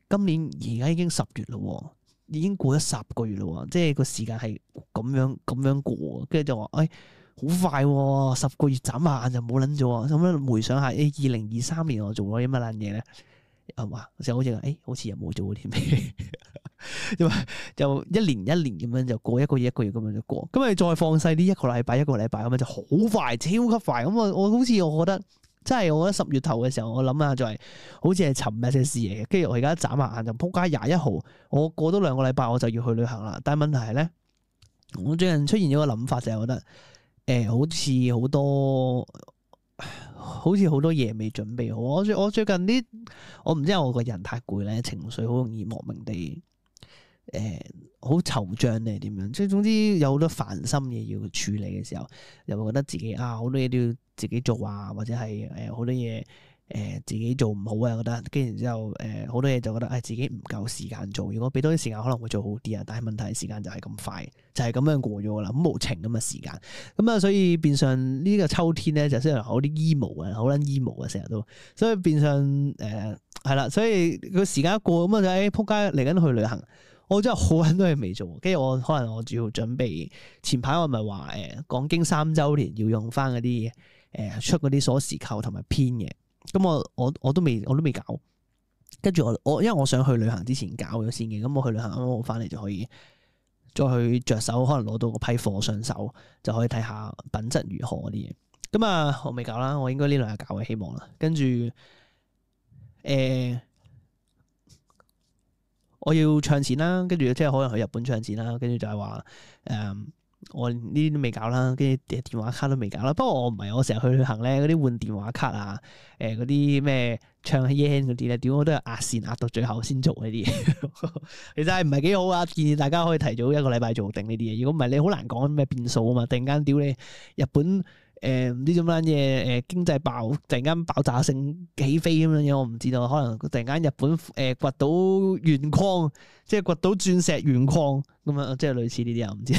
今年而家已經十月咯。已經過咗十個月咯，即係個時間係咁樣咁樣過，跟住就話，誒、哎，好快、啊，十個月眨下眼就冇捻咗，咁樣回想下，誒，二零二三年我做咗啲乜捻嘢咧？啊嘛，就好似誒、哎，好似又冇做啲咩，因為就一年一年咁樣就過，一個月一個月咁樣就過，咁你再放細啲，一個禮拜一個禮拜咁樣就好快，超級快，咁我我好似我覺得。真係我覺得十月頭嘅時候，我諗下就係好似係尋日嘅事嚟嘅。跟住我而家眨下眼就撲街廿一號，我過多兩個禮拜我就要去旅行啦。但係問題係咧，我最近出現咗個諗法就係覺得，誒、呃、好似好多，好似好多嘢未準備好。我最我最近啲，我唔知係我個人太攰咧，情緒好容易莫名地誒好惆悵定係點樣。即係總之有好多煩心嘢要處理嘅時候，又會覺得自己啊好多嘢都要自己做啊，或者係誒好多嘢誒、呃、自己做唔好啊，覺得跟住之後誒好、呃、多嘢就覺得誒、哎、自己唔夠時間做，如果俾多啲時間可能會做好啲啊，但係問題係時間就係咁快，就係、是、咁樣過咗啦，咁無情咁嘅時間，咁啊所以變相呢個秋天咧就雖然好啲 emo 啊，好撚 emo 啊成日都，所以變相誒係啦，所以個時間一過咁啊就誒撲街嚟緊去旅行。我真係好撚多嘢未做，跟住我可能我主要準備前排我咪話誒講經三週年要用翻嗰啲誒出嗰啲鎖匙扣同埋編嘅，咁我我我都未我都未搞，跟住我我因為我想去旅行之前搞咗先嘅，咁我去旅行啱啱我翻嚟就可以再去着手，可能攞到個批貨上手就可以睇下品質如何嗰啲嘢。咁啊我未搞啦，我應該呢兩日搞嘅希望啦，跟住誒。呃我要唱錢啦，跟住即係可能去日本唱錢啦，跟住就係話誒，我呢啲都未搞啦，跟住電話卡都未搞啦。不過我唔係，我成日去旅行咧，嗰啲換電話卡啊，誒嗰啲咩唱 yen 嗰啲咧，點我都係壓線壓到最後先做呢啲嘢。其實係唔係幾好啊？建議大家可以提早一個禮拜做定呢啲嘢。如果唔係，你好難講咩變數啊嘛。突然間屌你日本。誒唔知做乜嘢誒經濟爆突然間爆炸性起飛咁樣嘢，我唔知道。可能突然間日本誒掘到鉛礦，即係掘到鑽石鉛礦咁樣，即係類似呢啲啊，唔知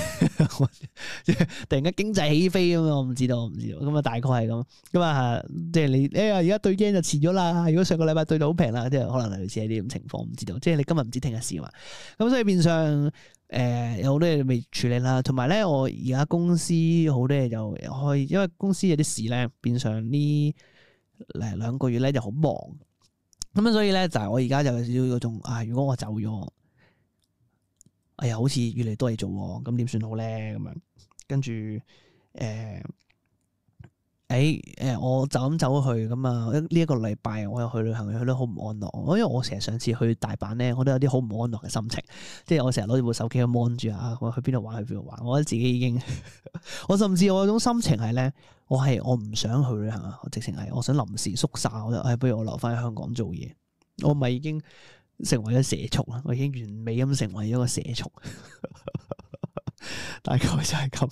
即係突然間經濟起飛咁樣，我唔知道，我唔知道。咁啊大概係咁。咁啊即係你誒而家對 yen 就遲咗啦。如果上個禮拜對到好平啦，即係可能類似係呢種情況，唔知道。即係你今日唔知聽日事嘛。咁所以變相。誒、呃、有好多嘢未處理啦，同埋咧我而家公司好多嘢就開，因為公司有啲事咧，變相呢誒兩個月咧就好忙，咁樣所以咧就係、是、我而家就有少少嗰種啊，如果我走咗，哎呀好似越嚟越多嘢做喎，咁點算好咧咁樣，跟住誒。呃誒誒、欸呃，我就咁走去咁啊！呢、這、一個禮拜我又去旅行，去得好唔安樂。因為我成日上次去大阪咧，我都有啲好唔安樂嘅心情。即係我成日攞住部手機去 mon 住啊，我去邊度玩去邊度玩。我覺得自己已經，我甚至我嗰種心情係咧，我係我唔想去旅行啊！我直情係我想臨時縮沙，我就誒、哎，不如我留翻喺香港做嘢。我咪已經成為咗社畜啦！我已經完美咁成為咗個社畜，大概就係咁。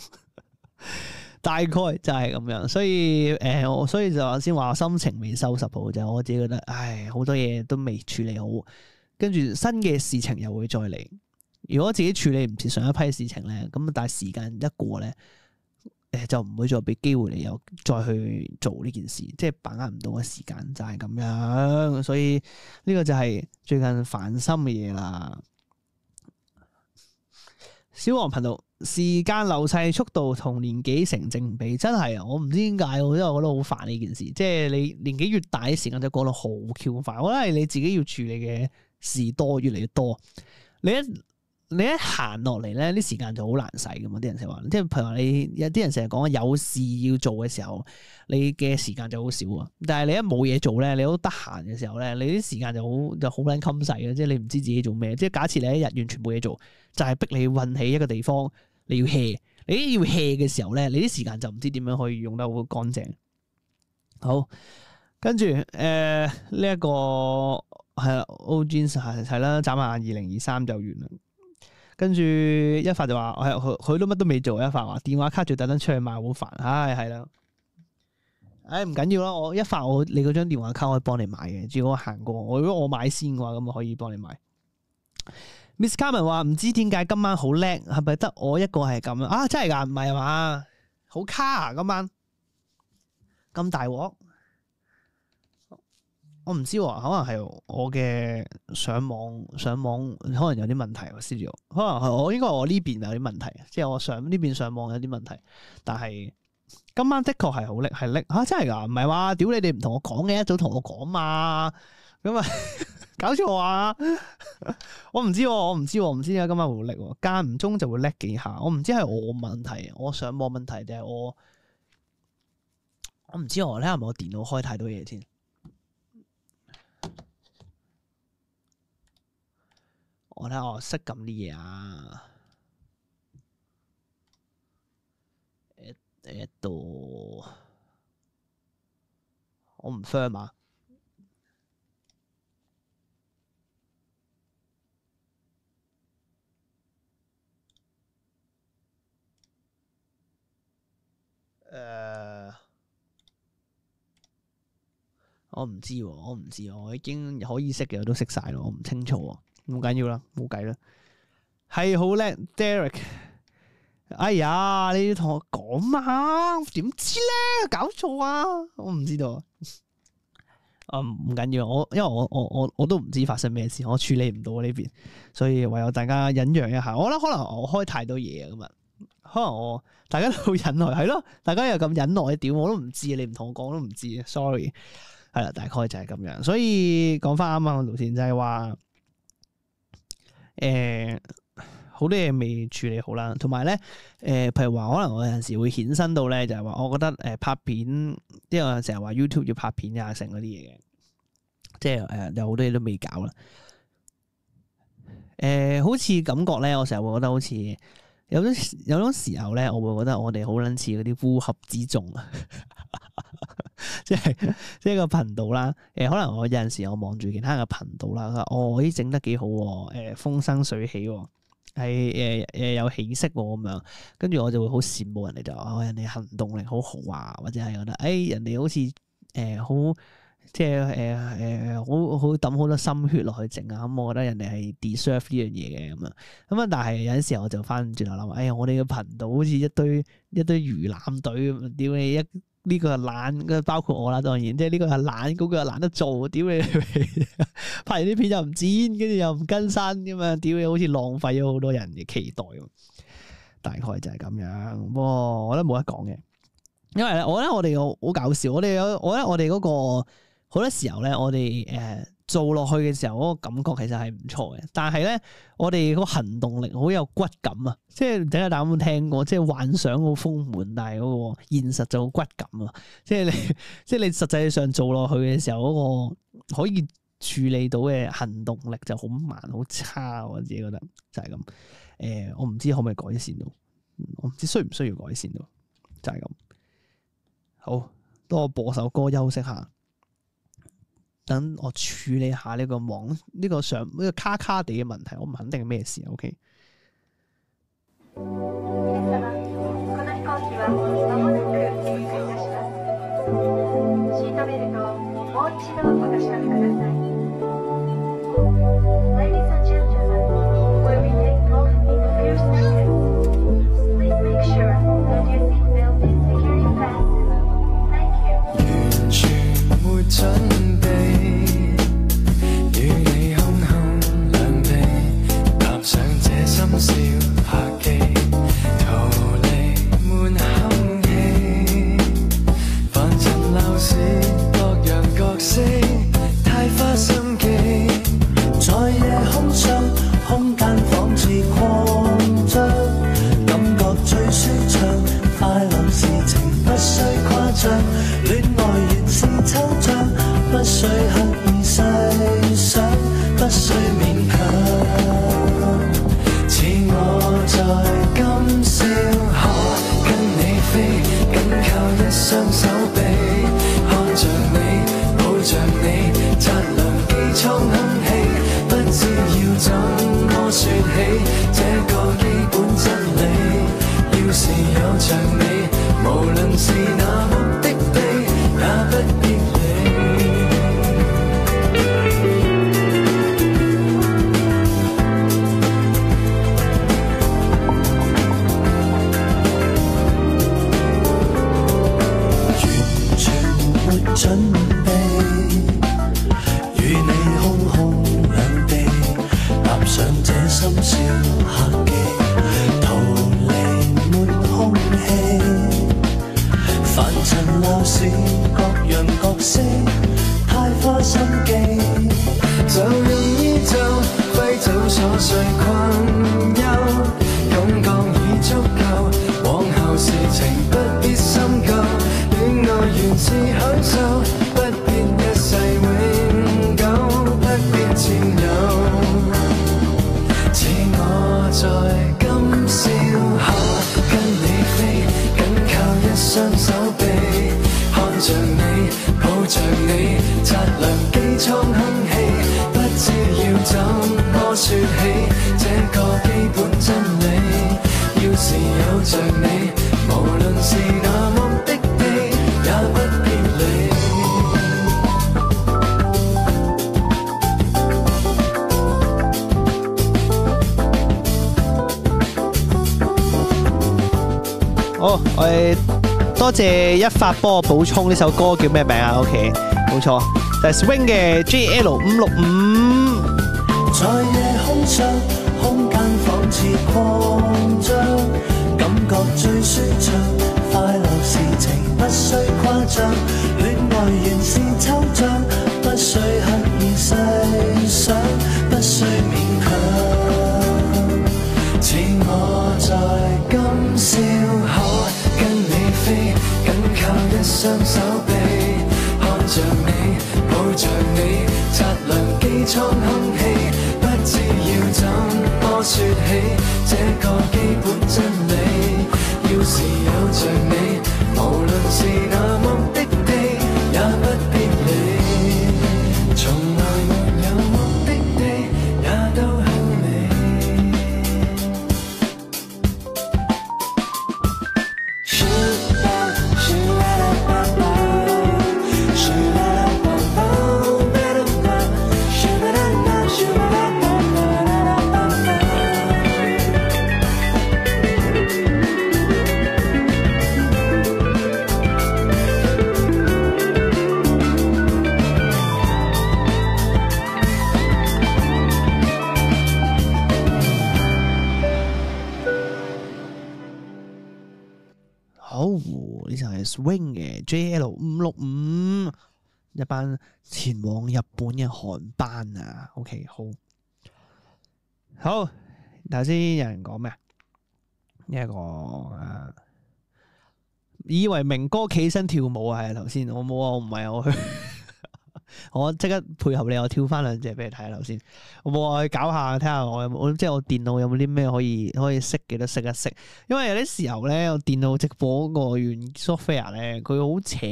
大概就係咁樣，所以誒、呃，我所以就先話心情未收拾好，就係我自己覺得，唉，好多嘢都未處理好，跟住新嘅事情又會再嚟。如果自己處理唔切上一批事情咧，咁但係時間一過咧，誒就唔會再俾機會你又再去做呢件事，即係把握唔到嘅時間就係咁樣。所以呢個就係最近煩心嘅嘢啦。小黃頻道，時間流逝速度同年紀成正比，真係啊！我唔知點解，我因為我覺得好煩呢件事，即係你年紀越大，啲時間就過得好 Q 快。我覺得係你自己要處理嘅事多，越嚟越多，你一你一行落嚟咧，啲時間就好難使噶嘛。啲人成日話，即係譬如話你有啲人成日講有事要做嘅時候，你嘅時間就好少啊。但係你一冇嘢做咧，你好得閒嘅時候咧，你啲時間就好就好撚襟使嘅，即係你唔知自己做咩。即係假設你一日完全冇嘢做，就係、是、逼你運起一個地方，你要 hea， 你要 hea 嘅時候咧，你啲時間就唔知點樣可以用得好乾淨。好，跟住誒呢一個係啦 ，O Jeans 係係啦，眨下眼二零二三就完啦。跟住一發就話，係佢佢都乜都未做，一發話電話卡就特登出去買好煩，唉係啦，唉唔緊要啦，我一發我你嗰張電話卡可以幫你買嘅，只要我行過，我如果我買先嘅話，咁我可以幫你買。Miss Carmen 話唔知點解今晚好叻，係咪得我一個係咁啊？真係㗎，唔係啊嘛？好卡啊今晚，咁大鑊。我唔知喎，可能係我嘅上網上網可能有啲問題喎 studio 可能係我應該我呢邊有啲問題，即係我上呢邊上網有啲問題。但係今晚的確係好叻，係叻嚇真係㗎，唔係話屌你哋唔同我講嘅，一早同我講嘛，咁啊搞錯啊！我唔知喎，我唔知喎，我唔知點解今晚會好叻喎，間唔中就會叻幾下。我唔知係我問題，我上網問題定係我我唔知我咧係咪我電腦開太多嘢先。我睇下我識撳啲嘢啊！誒誒度，我唔 firm 啊！誒，我唔知喎，我唔知喎，我已經可以識嘅我都識晒咯，我唔清楚喎。唔緊要啦，冇計啦，係好叻 ，Derek。哎呀，你要同我講嘛？點知咧？搞錯啊！我唔知道。啊，唔緊要，我因為我我我我都唔知發生咩事，我處理唔到呢邊，所以唯有大家忍讓一下。我覺得可能我開太多嘢啊，今日可能我大家都好忍耐，係咯，大家又咁忍耐，屌我都唔知，你唔同我講都唔知 ，sorry。係啦，大概就係咁樣。所以講翻啱啱嘅路線就係話。誒，好、呃、多嘢未處理好啦，同埋咧，誒、呃，譬如話可能我有陣時會衍生到咧，就係、是、話我覺得誒、呃、拍片，因為成日話 YouTube 要拍片啊，成嗰啲嘢嘅，即係誒、呃、有好多嘢都未搞啦。誒、呃，好似感覺咧，我成日會覺得好似有種有種時候咧，我會覺得我哋好撚似嗰啲烏合之眾啊，即係即係個頻道啦。誒、呃，可能我有陣時我望住其他嘅頻道啦，佢話哦，咦整得幾好喎，誒、呃、風生水起喎，係誒誒有起色喎咁樣，跟住我就會好羨慕人哋就話、哦、人哋行動力好好啊，或者係覺得誒、哎、人哋好似誒好。即係誒誒好好抌好多心血落去整啊，咁、嗯、我覺得人哋係 deserve 呢樣嘢嘅咁啊，咁啊但係有陣時候我就翻轉頭諗，哎呀我哋嘅頻道好似一堆一堆魚腩隊咁，屌你一呢、這個係懶，包括我啦當然，即係呢個係懶，嗰、那個又懶得做，屌你拍完啲片又唔剪，跟住又唔更新咁啊，屌你好似浪費咗好多人嘅期待咁，大概就係咁樣。不過我覺得冇得講嘅，因為咧我覺得我哋好搞笑，我哋有我覺得我哋嗰、那個。好多時候咧，我哋誒、呃、做落去嘅時候，嗰、那個感覺其實係唔錯嘅。但係咧，我哋個行動力好有骨感啊！即係唔知大家有冇聽過？即係幻想好豐滿，但係嗰個現實就好骨感啊！即係你，即係你實際上做落去嘅時候，嗰、那個可以處理到嘅行動力就好慢、好差。我自己覺得就係咁。誒、呃，我唔知可唔可以改善到，我唔知需唔需要改善到，就係、是、咁。好，多我播首歌休息下。等我處理下呢個網呢、呢個上呢、呢個卡卡地嘅問題，我唔肯定係咩事 OK。象，戀愛原是抽象，不需刻意細想，不需勉強。似我在今宵可跟你飛，緊靠一雙手臂，看着你，抱着你，擦亮機艙空氣，不知要怎麼說起這個基本真理。要是有着你，無論是那目的地，也不必理。完全沒準備，與你空空兩地，踏上這深宵客機，逃離沒空氣，凡塵鬧市各樣角色，太花心機，就用衣袖揮走瑣碎困憂，感覺已足夠，往後事情不必深究，戀愛原是享受，不必一世永久，不必佔有。似我在今宵可跟你飛，緊靠一雙手臂，看着你，抱着你，擦亮機艙空氣，不知要怎麼說起這個基本真理。要是有着你，無論是那目的地，也不必理。好，我哋多謝一發幫我補充呢首歌叫咩名啊 ？OK， 冇錯，就係 Swing 嘅 J L 五六五。在夜空上，空間仿似擴張，感覺最舒暢，快樂事情不需誇張，戀愛原是抽象，不需刻意細想，不需勉強。似我在今宵可跟你飛，緊靠一雙手臂，看着你，抱着你，擦亮機艙空氣，不知要怎麼說起這個基本真理。要是有着你，無論是那目的地，也不必理。從來沒有目的地，也都向你。好，呢就係 Swing 嘅 J L 五六五，一班前往日本嘅韓班啊。OK， 好，好，頭先有人講咩啊？呢一個誒，以為明哥企起身跳舞啊，係頭先我冇啊，我唔係我去。我即刻配合你，我跳翻兩隻俾你睇下頭先。我冇啊，去搞下睇下我有冇，即係我電腦有冇啲咩可以可以識嘅都識一識。因為有啲時候咧，我電腦直播嗰個軟 software 咧，佢好扯，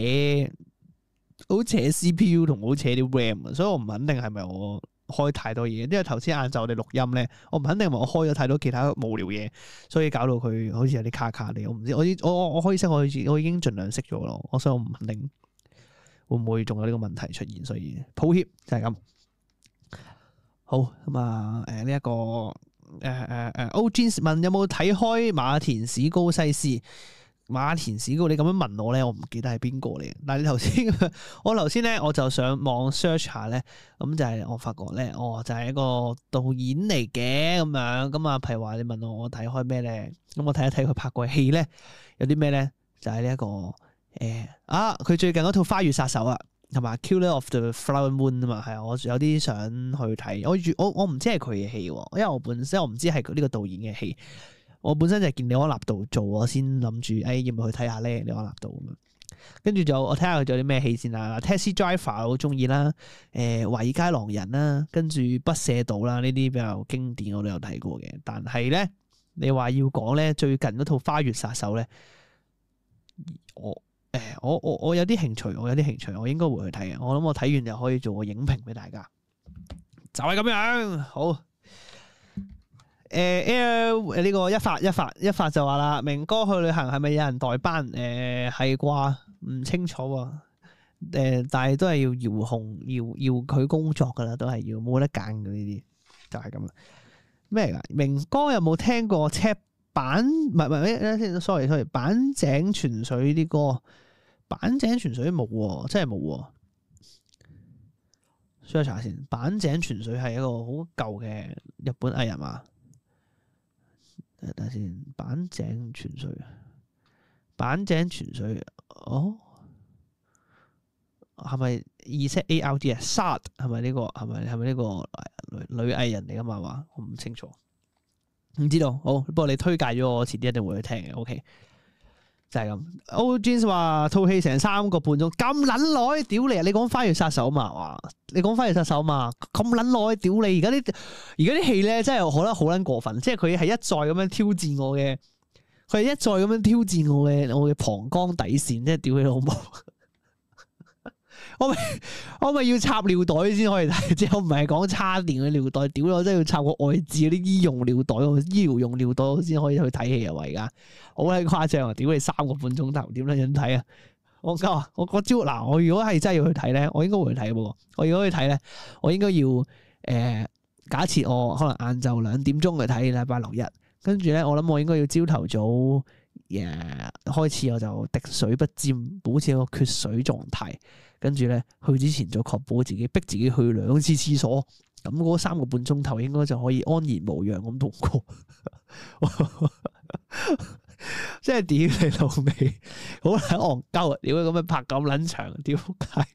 好扯 C P U 同好扯啲 RAM 啊，所以我唔肯定係咪我開太多嘢。因為頭先晏晝我哋錄音咧，我唔肯定係咪我開咗太多其他無聊嘢，所以搞到佢好似有啲卡卡地。我唔知，我我我可以識，我我已經盡量識咗咯。我所以我唔肯定。會唔會仲有呢個問題出現？所以抱歉就係咁。好咁啊，誒呢一個誒誒誒 O Jeans 問有冇睇開馬田史高西斯？馬田史高，你咁樣問我咧，我唔記得係邊個嚟。但係你頭先，我頭先咧我就上網 search 下咧，咁就係我發覺咧，哦就係一個導演嚟嘅咁樣。咁啊，譬如話你問我我睇開咩咧？咁我睇一睇佢拍過嘅戲咧，有啲咩咧？就係呢一個。誒啊！佢最近嗰套《花月殺手》啊，同埋《Killer of the Flower Moon》啊嘛，係啊，我有啲想去睇。我我我唔知係佢嘅戲喎，因為我本身我唔知係呢個導演嘅戲。我本身就係見李安納度做，我先諗住誒要唔要去睇下咧？李安納度咁樣。跟住就我睇下佢仲有啲咩戲先啦。Taxi Driver 我好中意啦，誒華爾街狼人啦，跟住不赦島啦，呢啲比較經典我都有睇過嘅。但係咧，你話要講咧最近嗰套花月殺手咧，我誒我我我有啲興趣，我有啲興趣，我應該會去睇嘅。我諗我睇完就可以做個影評俾大家，就係、是、咁樣好。誒誒呢個一發一發一發就話啦，明哥去旅行係咪有人代班？誒係啩？唔清楚喎。誒、呃、但係都係要遙控，要要佢工作噶啦，都係要冇得揀嘅呢啲，就係咁啦。咩嚟㗎？明哥有冇聽過赤板？唔係唔係誒，sorry sorry，板井泉水啲歌，板井泉水冇喎，真係冇喎。需要查下先。板井泉水係一個好舊嘅日本藝人嘛？睇下先，板井泉水，板井泉水，哦，係咪 Z A R D 啊 ？Sad 係咪呢個？係咪係咪呢個女女藝人嚟噶嘛？話我唔清楚，唔知道。好，不過你推介咗我，遲啲一定會去聽嘅。OK，就係咁。O Jeans 話套戲成三個半鐘，咁撚耐，屌你啊！你講花月殺手嘛？話你講花月殺手嘛？咁撚耐，屌你！而家啲而家啲戲咧，真係我覺得好撚過分，即係佢係一再咁樣挑戰我嘅，佢係一再咁樣挑戰我嘅我嘅膀胱底線，即係屌你老母！我咪我咪要插尿袋先可以睇，即係我唔係講叉電嘅尿袋，屌我真係要插個外置嗰啲醫用尿袋，醫療用尿袋先可以去睇戲啊！而家好鬼誇張啊！屌你三個半鐘頭，點樣樣睇啊？我講啊，我我朝嗱，我如果係真係要去睇咧，我應該會去睇嘅喎。我如果去睇咧，我應該要誒、呃，假設我可能晏晝兩點鐘去睇禮拜六日，跟住咧，我諗我應該要朝頭早誒、呃、開始，我就滴水不沾，保持一個缺水狀態。跟住咧，去之前就確保自己逼自己去兩次廁所，咁嗰三個半鐘頭應該就可以安然無恙咁度過。即係屌你老味，好撚戇鳩啊！屌咁樣拍咁撚長，屌街！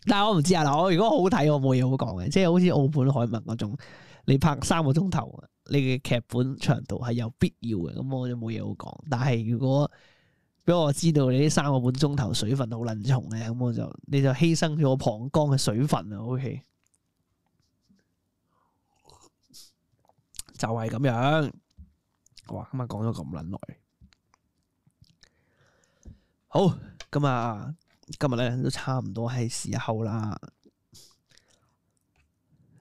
但係我唔知啊，嗱，我如果好睇，我冇嘢好講嘅，即係好似澳本海默嗰種，你拍三個鐘頭，你嘅劇本長度係有必要嘅，咁我就冇嘢好講。但係如果俾我知道你呢三個半鐘頭水分好撚重嘅，咁我就你就犧牲咗我膀胱嘅水分啊 ！OK， 就係咁樣。哇！今日講咗咁撚耐，好咁啊！今日咧都差唔多係時候啦，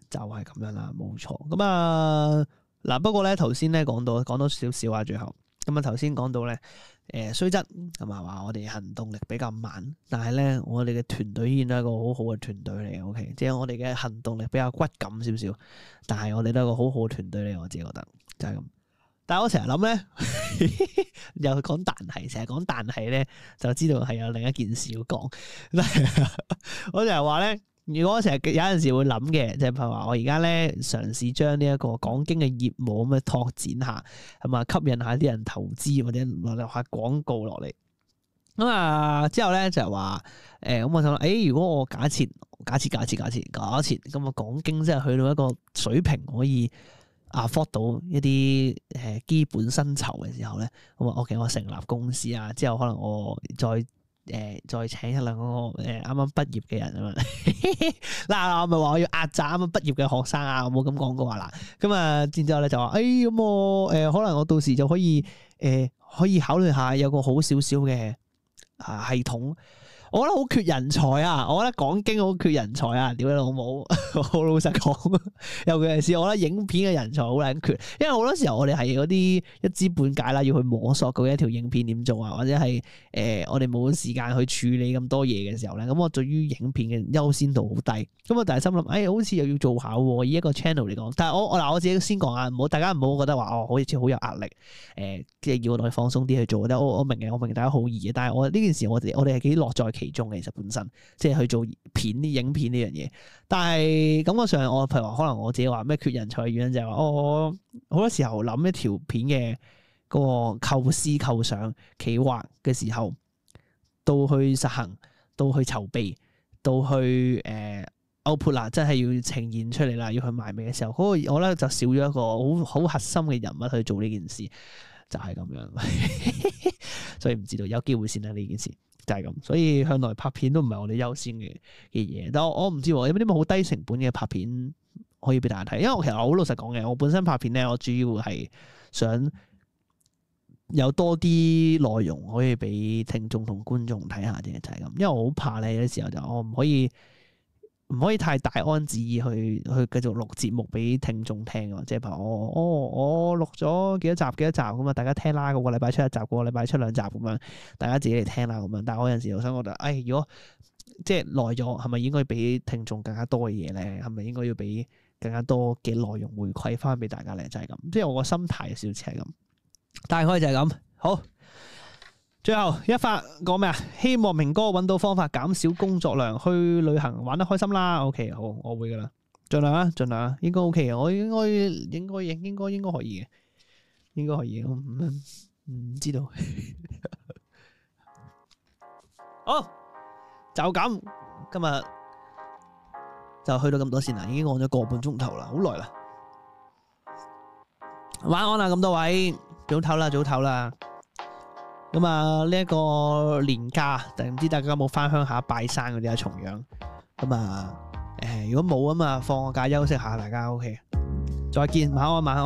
就係咁樣啦，冇錯。咁啊嗱，不過咧頭先咧講到講多少少啊，最後咁啊頭先講到咧。誒雖則係咪話我哋行動力比較慢，但係咧我哋嘅團隊依然都係一個好好嘅團隊嚟嘅 ，OK， 即係我哋嘅行動力比較骨感少少，但係我哋都係一個好好嘅團隊嚟，我自己覺得就係、是、咁。但係我成日諗咧，又講但係，成日講但係咧，就知道係有另一件事要講。我成日話咧。如果我成日有陣時會諗嘅，即係譬如話我而家咧嘗試將呢一個講經嘅業務咁樣拓展下，係嘛，吸引下啲人投資或者落下廣告落嚟。咁啊之後咧就係話誒，咁我就諗，誒如果我假設假設假設假設假設咁啊講經真係去到一個水平可以 afford 到一啲誒基本薪酬嘅時候咧，咁啊 OK，我成立公司啊，之後可能我再。誒、呃，再請一兩個誒啱啱畢業嘅人啊嘛，嗱我咪話我要壓榨啱啱畢業嘅學生啊，我冇咁講過話啦。咁啊，然之後咧就話，誒、哎、咁我誒、呃、可能我到時就可以誒、呃、可以考慮下有個好少少嘅啊系統。我覺得好缺人才啊！我覺得講經好缺人才啊！屌你老母，好老實講，尤其是我覺得影片嘅人才好撚缺，因為好多時候我哋係嗰啲一知半解啦，要去摸索嗰一條影片點做啊，或者係誒、呃、我哋冇時間去處理咁多嘢嘅時候咧，咁我對於影片嘅優先度好低，咁我但係心諗，誒、哎、好似又要做下喎，以一個 channel 嚟講，但係我我嗱我自己先講啊，唔好大家唔好覺得話哦，好似好有壓力，誒即係要我哋放鬆啲去做，我我明嘅，我明大家好易嘅，但係我呢件事我哋我哋係幾樂在其中嘅，其實本身即係去做片啲影片呢樣嘢，但係感覺上我譬如話可能我自己話咩缺人才嘅原因就係話我好多時候諗一條片嘅嗰個構思構想企劃嘅時候，到去實行，到去籌備，到去誒 output 啦，真係要呈現出嚟啦，要去賣味嘅時候，嗰、那個我咧就少咗一個好好核心嘅人物去做呢件事。就係咁樣，所以唔知道有機會先啦呢件事就係咁。所以向來拍片都唔係我哋優先嘅嘅嘢，但我我唔知喎，有冇啲好低成本嘅拍片可以俾大家睇？因為我其實我好老實講嘅，我本身拍片咧，我主要係想有多啲內容可以俾聽眾同觀眾睇下啫，就係咁。因為我好怕咧，有啲時候就我唔可以唔可以太大安旨意去去繼續錄節目俾聽眾聽啊。即係譬如我哦我錄咗幾多集幾多集咁啊，大家聽啦，個個禮拜出一集，個個禮拜出兩集咁樣，大家自己嚟聽啦咁樣。但係我有陣時又想覺得，誒如果即係耐咗，係咪應該俾聽眾更加多嘅嘢咧？係咪應該要俾更加多嘅內容回饋翻俾大家咧？就係咁，即係我個心態少少似係咁。大概就係咁，好。最後一發講咩啊？希望明哥揾到方法減少工作量，去旅行玩得開心啦。OK， 好，我會噶啦，盡量啊，盡量啊，應該 OK 嘅，我應該應該應應該應該可以嘅，應該可以，我唔唔知道。好，就咁，今日就去到咁多先啦，已經講咗個半鐘頭啦，好耐啦。晚安啦，咁多位。早唞啦，早唞啦。咁啊，呢一個年假，但唔知大家有冇翻鄉下拜山嗰啲啊？重陽。咁啊，誒，如果冇啊嘛，放個假休息下，大家 OK。再見，晚安，晚安。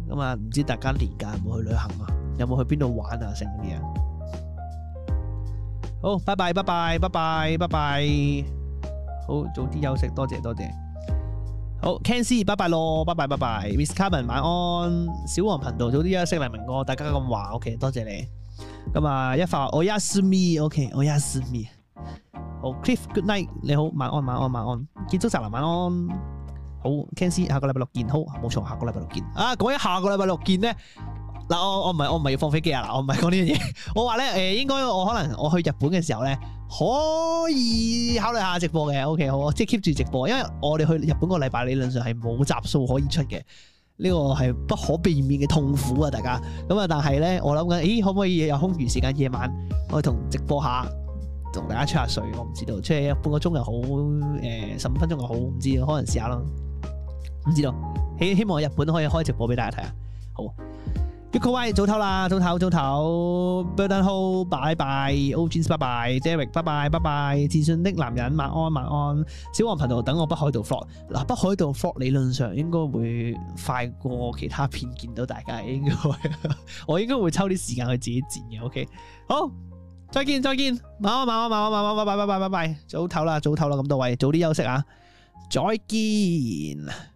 咁啊，唔知大家年假有冇去旅行啊？有冇去邊度玩啊？成嗰啲啊？好，拜拜，拜拜，拜拜，拜拜。好，早啲休息，多謝，多謝。好 ，Ken C， 拜拜咯，拜拜拜拜 ，Miss Carmen 晚安，小黃頻道早啲休息，黎明哥，大家咁話 ，OK， 多謝你。咁啊，一發我 yes me，OK， 我 yes me。好 ，Cliff，good night， 你好，晚安晚安晚安，建築宅男晚安。好 ，Ken C， 下個禮拜六見，好，冇錯，下個禮拜六見。啊，講起下個禮拜六見咧，嗱，我我唔係我唔係要放飛機啊，嗱，我唔係講呢樣嘢，我話咧，誒，應該我可能我去日本嘅時候咧。可以考慮下直播嘅 ，OK 好，即係 keep 住直播，因為我哋去日本個禮拜理論上係冇集數可以出嘅，呢、這個係不可避免嘅痛苦啊！大家咁啊，但係咧，我諗緊，咦，可唔可以有空餘時間夜晚我同直播下，同大家吹下水？我唔知道，吹半個鐘又好，誒十五分鐘又好，唔知道，可能試下咯，唔知道。希希望日本可以開直播俾大家睇啊！好。Yuko Y 早唞啦，早唞早唞 Burden Ho 拜拜 O Jeans 拜拜 Derek 拜拜拜拜自信的男人晚安晚安小黃頻道等我北海道 vlog 嗱北海道 vlog 理論上應該會快過其他片見到大家應該我應該會抽啲時間去自己剪嘅 OK 好再見再見晚安晚安晚安晚安拜拜拜拜拜拜早唞啦早唞啦咁多位早啲休息啊再見。